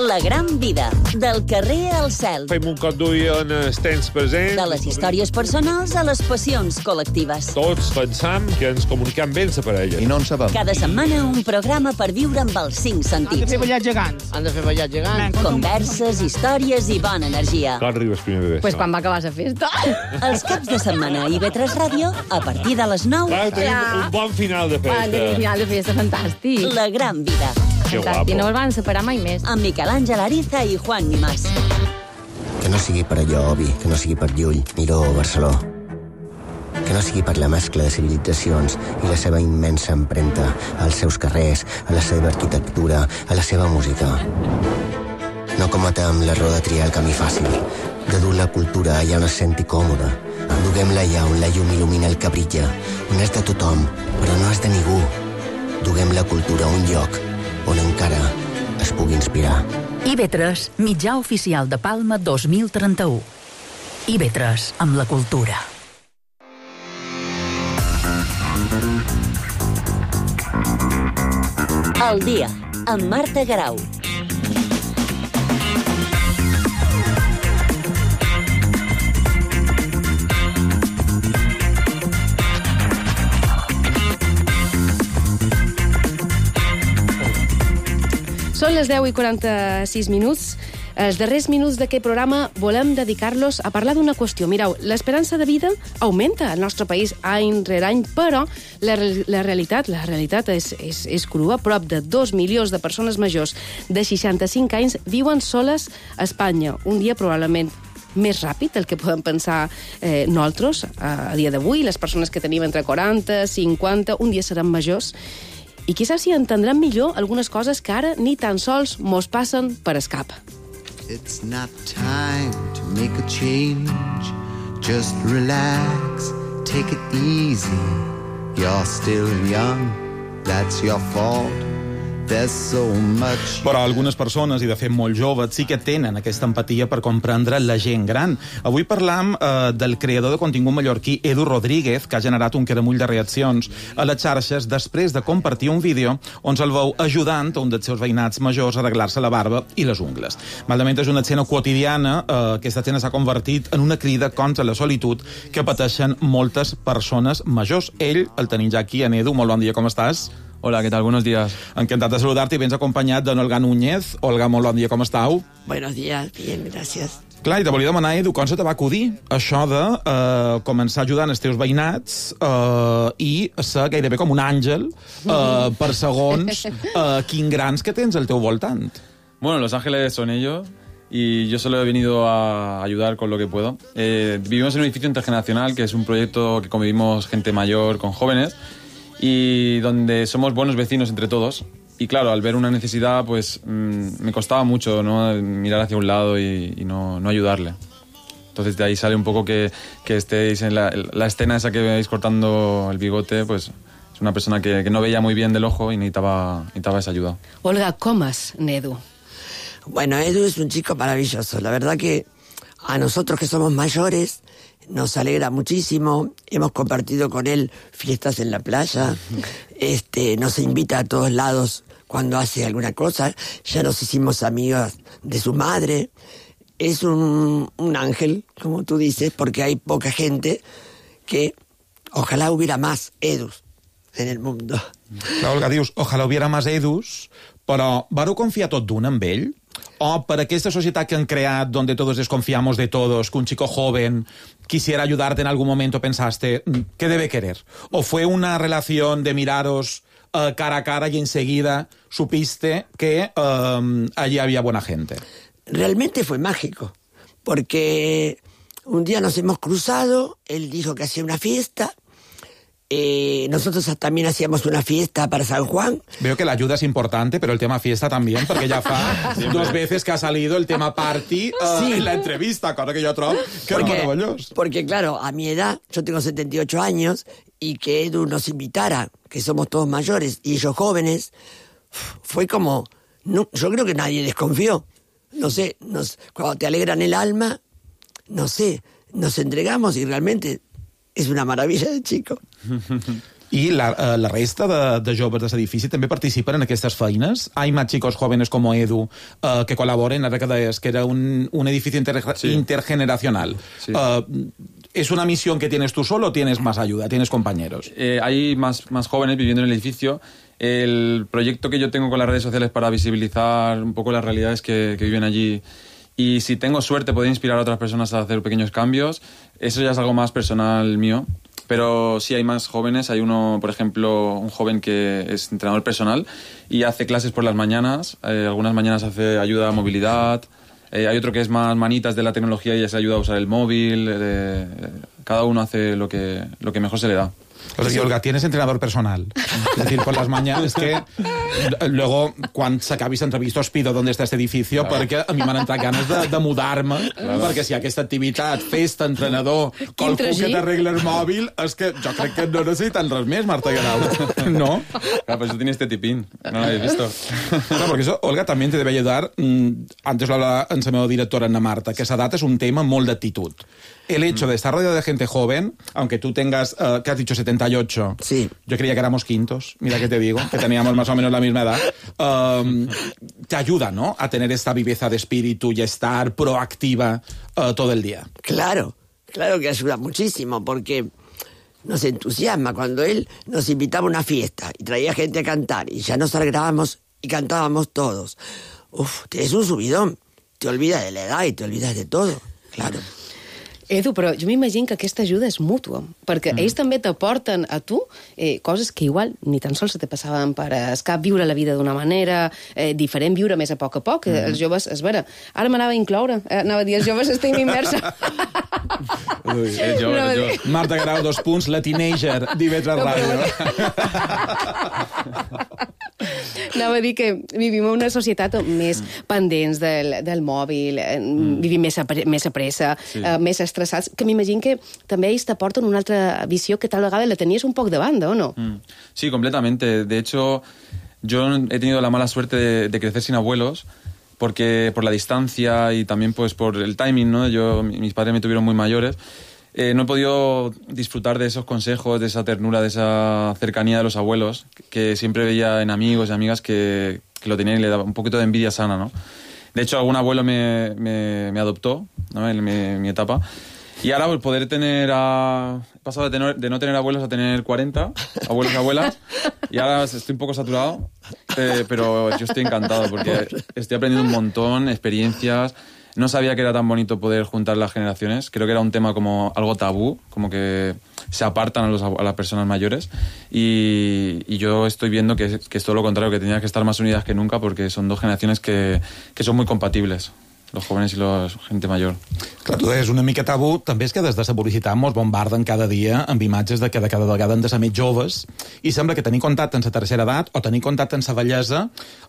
La gran vida, del carrer al cel. Fem un cop d'ull en els temps presents. De les històries personals a les passions col·lectives. Tots pensam que ens comuniquem bé amb la parella. I no en sabem. Cada setmana un programa per viure amb els cinc sentits. Han de fer ballar gegants. Han de fer ballar gegants. Converses, històries i bona energia. Quan arribes primer de Pues quan va acabar la festa. Els caps de setmana a I V tres Ràdio, a partir de les nou. Clar, tenim ja. un bon final de festa. Tenim un final de festa fantàstic. La gran vida. Que guapo. I no el van separar mai més. Amb Miquel Àngel Ariza i Juan Nimás. Que no sigui per allò, Obi, que no sigui per Llull, Miró o Barceló. Que no sigui per la mescla de civilitzacions i la seva immensa empremta als seus carrers, a la seva arquitectura, a la seva música. No cometem l'error de triar el camí fàcil, de dur la cultura allà on es senti còmoda. Duguem-la allà on la llum il·lumina el que brilla, on és de tothom, però no és de ningú. Duguem la cultura a un lloc on encara es pugui inspirar. I V tres, mitjà oficial de Palma dos mil trenta-u. I V tres, amb la cultura. El dia, amb Marta Guerau. Són les deu i quaranta-sis minuts. Els darrers minuts d'aquest programa volem dedicar-los a parlar d'una qüestió. Mireu, l'esperança de vida augmenta al nostre país any rere any, però la, la realitat la realitat és, és, és crua. Prop de dos milions de persones majors de seixanta-cinc anys viuen soles a Espanya. Un dia probablement més ràpid del que podem pensar eh, nosaltres a, a dia d'avui. Les persones que tenim entre quaranta, cinquanta, un dia seran majors. I quizás si entendran millor algunes coses que ara ni tan sols mos passen per escap. It's not time to make a change. Just relax, take it easy. You're still young, that's your fault. There's so much... Però algunes persones, i de fet molt joves, sí que tenen aquesta empatia per comprendre la gent gran. Avui parlam eh, del creador de contingut mallorquí Edu Rodríguez, que ha generat un caramull de reaccions a les xarxes després de compartir un vídeo on se'l veu ajudant a un dels seus veïnats majors a arreglar-se la barba i les ungles. Malament és una escena quotidiana, eh, aquesta escena s'ha convertit en una crida contra la solitud que pateixen moltes persones majors. Ell, el tenim ja aquí, en Edu, molt bon dia, com estàs? Hola, ¿qué tal? Buenos días. Encantat de saludar-te i vens acompanyat d'en Olga Núñez. Olga, molt bon dia, com estàu? Buenos días, bien, gracias. Clar, i te volia demanar, Edu, com se te va acudir això de eh, començar ajudant els teus veïnats eh, i ser gairebé com un àngel eh, per segons eh, quins grans que tens al teu voltant? Bueno, los ángeles son ellos y yo solo he venido a ayudar con lo que puedo. Eh, vivimos en un edificio intergeneracional que es un proyecto que convivimos gente mayor con jóvenes y donde somos buenos vecinos entre todos. Y claro, al ver una necesidad, pues mmm, me costaba mucho, ¿no?, mirar hacia un lado y, y no, no ayudarle. Entonces de ahí sale un poco que, que estéis en la, la escena esa que veis cortando el bigote, pues es una persona que, que no veía muy bien del ojo y necesitaba, necesitaba esa ayuda. Olga, ¿cómo es Edu? Bueno, Edu es un chico maravilloso. La verdad que a nosotros que somos mayores nos alegra muchísimo. Hemos compartido con él fiestas en la playa. Este, nos invita a todos lados cuando hace alguna cosa. Ya nos hicimos amigas de su madre. Es un, un ángel, como tú dices, porque hay poca gente que ojalá hubiera más Edus en el mundo. Clar, Olga, dius, ojalà hubiera más Edus, però vareu confiar tot d'un amb ell? O per aquesta societat que han creat, donde todos desconfiamos de todos, que un chico joven quisiera ayudarte en algún momento, pensaste, ¿qué debe querer? ¿O fue una relación de miraros uh, cara a cara y enseguida supiste que uh, allí había buena gente? Realmente fue mágico, porque un día nos hemos cruzado, él dijo que hacía una fiesta, Eh, nosotros también hacíamos una fiesta para San Juan. Veo que la ayuda es importante, pero el tema fiesta también, porque ya fa dos veces que ha salido el tema party uh, sí. en la entrevista, cosa que yo trobo que porque, es maravilloso. Porque claro, a mi edad, yo tengo setenta y ocho años, y que Edu nos invitara, que somos todos mayores y ellos jóvenes, fue como, no, yo creo que nadie desconfió. No sé, nos, cuando te alegran el alma, no sé, nos entregamos y realmente és una meravella de chico. I la, uh, la resta de, de joves de l'edifici també participen en aquestes feines? Hay más chicos jóvenes como Edu uh, que colaboren, ara que deies que era un, un edifici inter, sí. intergeneracional. Sí. Uh, ¿Es una misión que tienes tú solo o tienes más ayuda, tienes compañeros? Eh, hay más, más jóvenes viviendo en el edificio. El proyecto que yo tengo con las redes sociales para visibilizar un poco las realidades que, que viven allí, y si tengo suerte poder inspirar a otras personas a hacer pequeños cambios, eso ya es algo más personal mío. Pero sí hay más jóvenes. Hay uno, por ejemplo, un joven que es entrenador personal y hace clases por las mañanas. Eh, algunas mañanas hace ayuda a movilidad. Eh, hay otro que es más manitas de la tecnología y ya se ayuda a usar el móvil. Eh, cada uno hace lo que, lo que mejor se le da. O sea, Olga, tienes entrenador personal. Es decir, por las mañanas que luego, quan s'acabi l'entrevista, os pido dónde està este edificio, claro. perquè a mi m'han entrat ganes de, de mudar-me, claro. perquè si hi ha aquesta activitat, festa, entrenador, qualcú que t'arregla el mòbil, és que jo crec que no necessiten res més, Marta Guerau. ¿No? Claro, pues eso tiene este tipín. No lo habéis visto. Claro, porque eso, Olga, también te debe ayudar. Antes lo hablaba en la meva directora, Ana Marta, que esa edad es un tema molt d'actitud. El hecho de estar rodeado de gente joven, aunque tú tengas, uh, que has dicho setenta y ocho, sí. Yo creía que éramos quintos, mira que te digo, que teníamos más o menos la misma edad, um, te ayuda, ¿no?, a tener esta viveza de espíritu y estar proactiva uh, todo el día. Claro, claro que ayuda muchísimo, porque nos entusiasma cuando él nos invitaba a una fiesta y traía gente a cantar y ya nos alegrábamos y cantábamos todos. Uf, es un subidón, te olvidas de la edad y te olvidas de todo, claro. Edu, però jo m'imagino que aquesta ajuda és mútua, perquè mm. ells també t'aporten a tu eh, coses que igual ni tan sols se te passaven per escap, viure la vida d'una manera eh, diferent, viure més a poc a poc. Mm. Els joves, és vera, ara m'anava a incloure, eh, anava a dir, els joves estem immersa. Ui, eh, jo, no, jo. Marta Guerau, dos punts, la teenager d'I V tres Ràdio. Anava a dir que vivim en una societat més mm. pendents del, del mòbil, mm. vivim més a, més a pressa, sí. eh, més estressats, que m'imagino que també ells t'aporten una altra visió que tal vegada la tenies un poc de banda, ¿o no? Mm. Sí, completamente. De hecho, yo he tenido la mala suerte de, de crecer sin abuelos, porque por la distancia y también pues por el timing, ¿no? Yo, mis padres me tuvieron muy mayores. Eh, no he podido disfrutar de esos consejos, de esa ternura, de esa cercanía de los abuelos, que siempre veía en amigos y amigas que, que lo tenían y le daba un poquito de envidia sana, ¿no? De hecho, algún abuelo me, me, me adoptó, ¿no? En mi, en mi etapa. Y ahora, pues, poder tener a... He pasado de, tener, de no tener abuelos a tener cuarenta abuelos y abuelas. Y ahora estoy un poco saturado, eh, pero yo estoy encantado porque estoy aprendiendo un montón, experiencias. No sabía que era tan bonito poder juntar las generaciones. Creo que era un tema como algo tabú, como que se apartan a, los, a las personas mayores. Y, y yo estoy viendo que, que es todo lo contrario, que tenían que estar más unidas que nunca porque son dos generaciones que, que son muy compatibles. Los jóvenes i la gent major. Clar, tu deies una mica tabú, també és que des de la publicitat mos bombarden cada dia amb imatges de que de cada vegada han de ser més joves i sembla que tenir contacte amb la tercera edat o tenir contacte amb la bellesa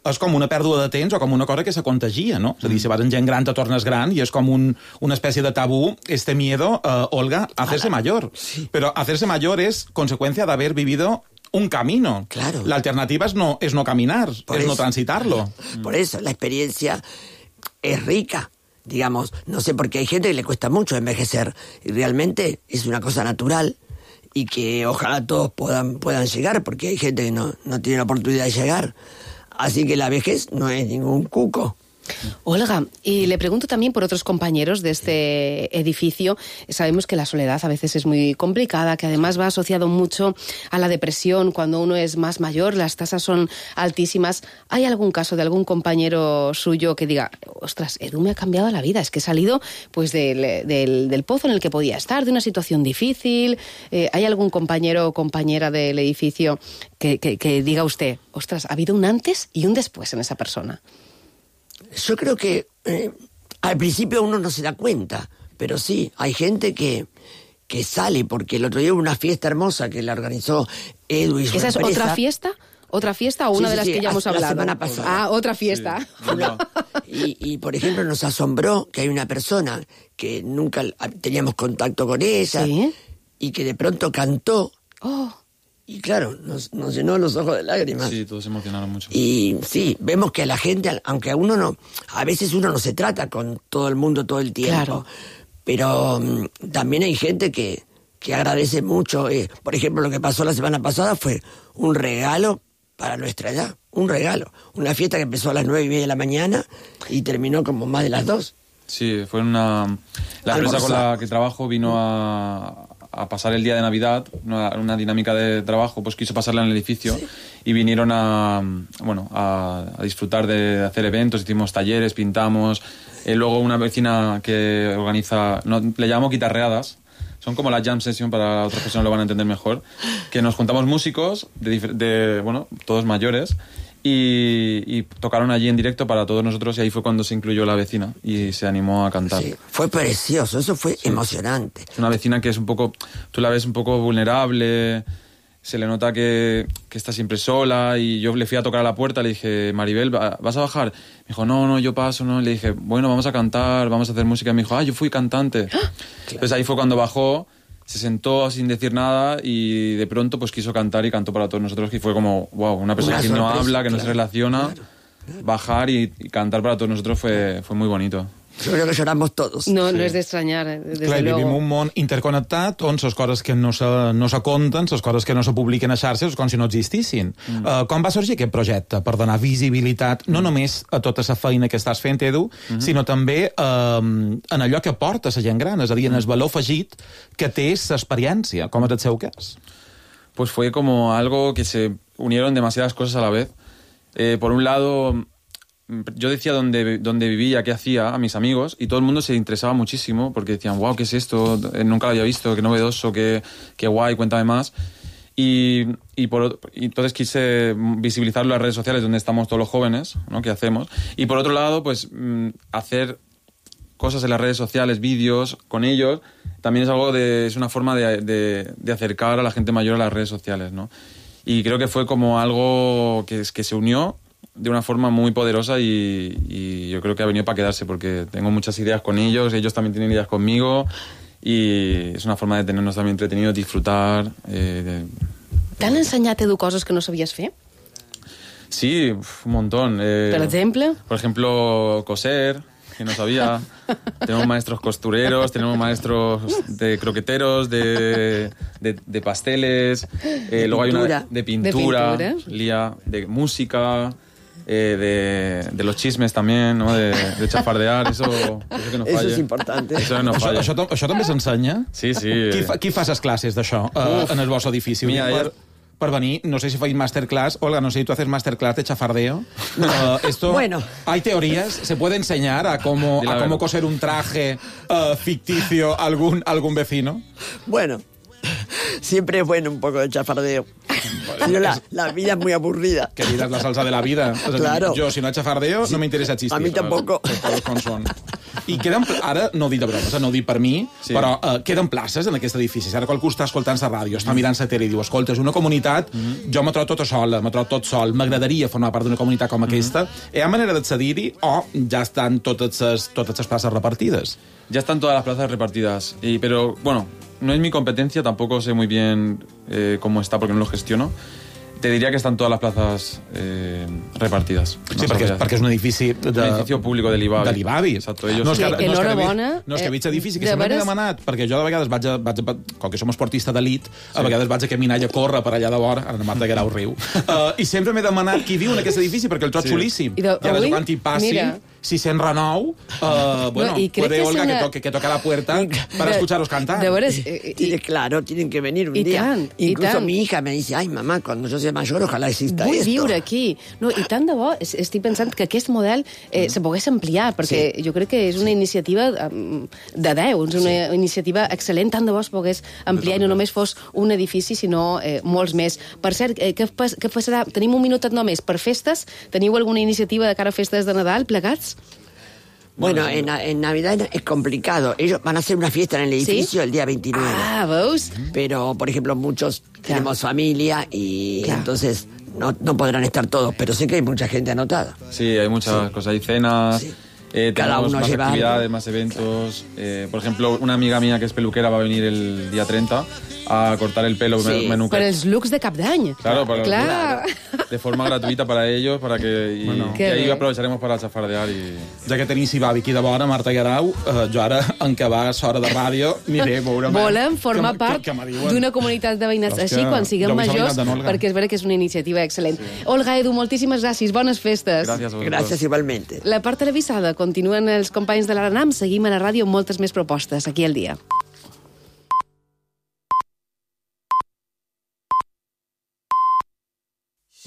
és com una pèrdua de temps o com una cosa que se contagia, no? És a dir, si vas en gent gran te tornes gran i és com un, una espècie de tabú, este miedo, uh, Olga, a hacerse mayor. Sí. Pero hacerse mayor es consecuencia de haber vivido un camino. Claro. La alternativa es no, es no caminar, Por es eso. no transitarlo. Por eso, la experiencia es rica, digamos, no sé, porque hay gente que le cuesta mucho envejecer y realmente es una cosa natural y que ojalá todos puedan, puedan llegar, porque hay gente que no, no tiene la oportunidad de llegar. Así que la vejez no es ningún cuco. Olga, y le pregunto también por otros compañeros de este edificio. Sabemos que la soledad a veces es muy complicada, que además va asociado mucho a la depresión cuando uno es más mayor, las tasas son altísimas. ¿Hay algún caso de algún compañero suyo que diga, ostras, Edu me ha cambiado la vida, es que he salido pues del, del, del pozo en el que podía estar, de una situación difícil? Eh, ¿Hay algún compañero o compañera del edificio que, que, que diga usted, ostras, ha habido un antes y un después en esa persona? Yo creo que eh, al principio uno no se da cuenta, pero sí, hay gente que, que sale, porque el otro día hubo una fiesta hermosa que la organizó Edu y su ¿Esa empresa. es otra fiesta? ¿Otra fiesta o una Sí, sí, de las sí, que ya hemos la hablado? semana pasada. Ah, otra fiesta. Sí. Una, y, y, por ejemplo, nos asombró que hay una persona que nunca teníamos contacto con ella, ¿sí? Y que de pronto cantó. Oh. Y claro, nos, nos llenó los ojos de lágrimas. Sí, todos se emocionaron mucho. Y sí, vemos que a la gente, aunque a uno no, a veces uno no se trata con todo el mundo todo el tiempo, claro. Pero um, también hay gente que, que agradece mucho. Eh, por ejemplo, lo que pasó la semana pasada fue un regalo para nuestra edad, un regalo. Una fiesta que empezó a las nueve y media de la mañana y terminó como más de las dos. Sí, fue una... La empresa con la que trabajo vino a... a pasar el día de Navidad, una, una dinámica de trabajo, pues quiso pasarla en el edificio, sí. Y vinieron a, bueno, a, a disfrutar de hacer eventos, hicimos talleres, pintamos, eh, luego una vecina que organiza, no, le llamamos guitarreadas, son como la jam session, para otras personas lo van a entender mejor, que nos juntamos músicos, de, de bueno, todos mayores, Y, y tocaron allí en directo para todos nosotros y ahí fue cuando se incluyó la vecina y se animó a cantar. Sí, fue precioso, eso fue sí. emocionante. Es una vecina que es un poco, tú la ves un poco vulnerable, se le nota que, que está siempre sola y yo le fui a tocar a la puerta, le dije, Maribel, ¿vas a bajar? Me dijo, no, no, yo paso, no. Le dije, bueno, vamos a cantar, vamos a hacer música. Y me dijo, ah, yo fui cantante. Claro. Entonces ahí fue cuando bajó, se sentó sin decir nada y de pronto pues quiso cantar y cantó para todos nosotros, que fue como, wow, una persona una que sorpresa, no habla, que claro, no se relaciona, claro, claro. Bajar y, y cantar para todos nosotros fue, fue muy bonito. Yo creo que lloramos todos. No, sí. no és d'estranyar, desde Clar, luego. Vivim un món interconnectat on les coses que no se, no se conten, les coses que no se publiquen a xarxes, és com si no existissin. Mm. Uh, com va sorgir aquest projecte per donar visibilitat no només a tota la feina que estàs fent, Edu, mm-hmm. sinó també uh, en allò que porta la gent gran, és a dir, en el valor afegit que té l'experiència, com és el seu cas? Pues fue como algo que se unieron demasiadas cosas a la vez. Eh, por un lado... yo decía dónde, dónde vivía, qué hacía a mis amigos y todo el mundo se interesaba muchísimo porque decían, wow, ¿qué es esto? Nunca lo había visto, qué novedoso, qué, qué guay, cuéntame más. Y, y, por, y entonces quise visibilizarlo en las redes sociales donde estamos todos los jóvenes, ¿no? ¿Qué hacemos? Y por otro lado, pues hacer cosas en las redes sociales, vídeos con ellos, también es algo de, es una forma de, de, de acercar a la gente mayor a las redes sociales, ¿no? Y creo que fue como algo que, que se unió de una forma muy poderosa y, y yo creo que ha venido para quedarse porque tengo muchas ideas con ellos, ellos también tienen ideas conmigo y es una forma de tenernos también entretenidos, disfrutar. Eh, de... T'han ensenyat, Edu, coses que no sabies fer? Sí, uf, un montón. Eh, ¿Por ejemplo? Por ejemplo, coser, que no sabía. Tenemos maestros costureros, tenemos maestros de croqueteros, de, de, de pasteles. Eh, luego hay una de pintura, ¿De pintura? Lía, de música, eh, de, de los chismes también, ¿no? De, de chafardear, eso, eso que no falla. Eso és important. Eso no Això, falla. això, tam- això també s'ensenya? Sí, sí. Qui, fa, qui fa les classes d'això uh, en el vostre edifici? Mira, per, ja- per venir, no sé si fais masterclass. Olga, no sé si tú haces masterclass de chafardeo. Uh, esto, Bueno. ¿Hay teorías? ¿Se puede enseñar a cómo, Di la a cómo verdad. coser un traje uh, ficticio a algún, algún vecino? Bueno, siempre es bueno un poco de chafardeo. Si no, la, la vida es muy aburrida. Que vida es la salsa de la vida. O sea, Claro. Yo, si no hay chafardeo, no me interesa existir. A mi tampoco. Todos com són. I queden, ara, no ho dic de broma, o sigui, no ho dic per mi, Sí. però uh, queden places en aquest edifici. Si ara qualcú està escoltant la ràdio, està mirant la tele i diu, escolta, és una comunitat, jo me trobo tota sola, me trobo tot sol, m'agradaria formar part d'una comunitat com aquesta. Hi ha manera d'accedir-hi o ja estan totes les, totes les places repartides? Ya están todas las plazas repartidas. Y, pero, bueno, no es mi competencia, tampoco sé muy bien eh, cómo está porque no lo gestiono. Te diría que están todas las plazas eh, repartidas. Sí, perquè, és- perquè és un edifici de... Un edificio público de l'Ibavi. De l'Ibavi. Exacto, ellos... No, és que, Que- no, és que, enhorabona, no, és que eh, veig edifici que de sempre m'he veres- demanat, perquè jo de vegades vaig a, vaig a, com que som esportista d'elit, a vegades vaig a caminar i a córrer per allà de vora, ara la Marta Guerau riu, uh, i sempre m'he demanat qui viu en aquest edifici, perquè el trobo Sí. xulíssim. I de- I ara avui, quan hi passi, mira. si se'n renou, uh, bueno, i crec puede que és Olga una- que, toque, que toque a la puerta para de- escucharos cantar. de veres, eh, Tiene, claro, tienen que venir un y día. tan, y Incluso tan. mi hija me dice, ay, mamá, cuando yo sea mayor, ojalá exista Vull esto. viure aquí. No, I tant de bo, es- estic pensant que aquest model eh, se pogués ampliar, perquè jo crec que és una iniciativa um, de deu, és una iniciativa excel·lent, tant de bo es pogués ampliar i no només fos un edifici, sinó eh, molts més. Per cert, eh, què, pas, què passarà? Tenim un minutet només per festes? Teniu alguna iniciativa de cara a festes de Nadal plegats? Bueno, en, en Navidad es complicado. Ellos van a hacer una fiesta en el edificio el día veintinueve. Ah, ¿veus? Pero, por ejemplo, muchos tenemos familia y entonces no, no podrán estar todos, pero sé que hay mucha gente anotada. Sí, hay muchas cosas. Hay cenas, eh, Cada tenemos uno más lleva actividades, algo. más eventos. Eh, por ejemplo, una amiga mía que es peluquera va a venir el día treinta a cortar el pelo Sí, menú. per els looks de cap d'any. Claro, para Clar. de forma gratuita para ellos, para que y, Bueno. y Qué ahí bé. aprovecharemos para chafardear y... Ja que tenim Sibavi aquí de vora, Marta Guerau, eh, jo ara, en què va l'hora de ràdio, aniré a veure'm. Volem formar que, part que, que me diuen. d'una comunitat de veïnats Però és així que quan siguem jo vull saber majors, d'en Olga. perquè és vera que és una iniciativa excel·lent. Sí. Olga, Edu, moltíssimes gràcies, bones festes. Gracias a vosotros. Gracias igualmente. La part televisada continuen els companys de l'Aranam, seguim a la ràdio amb moltes més propostes aquí al dia.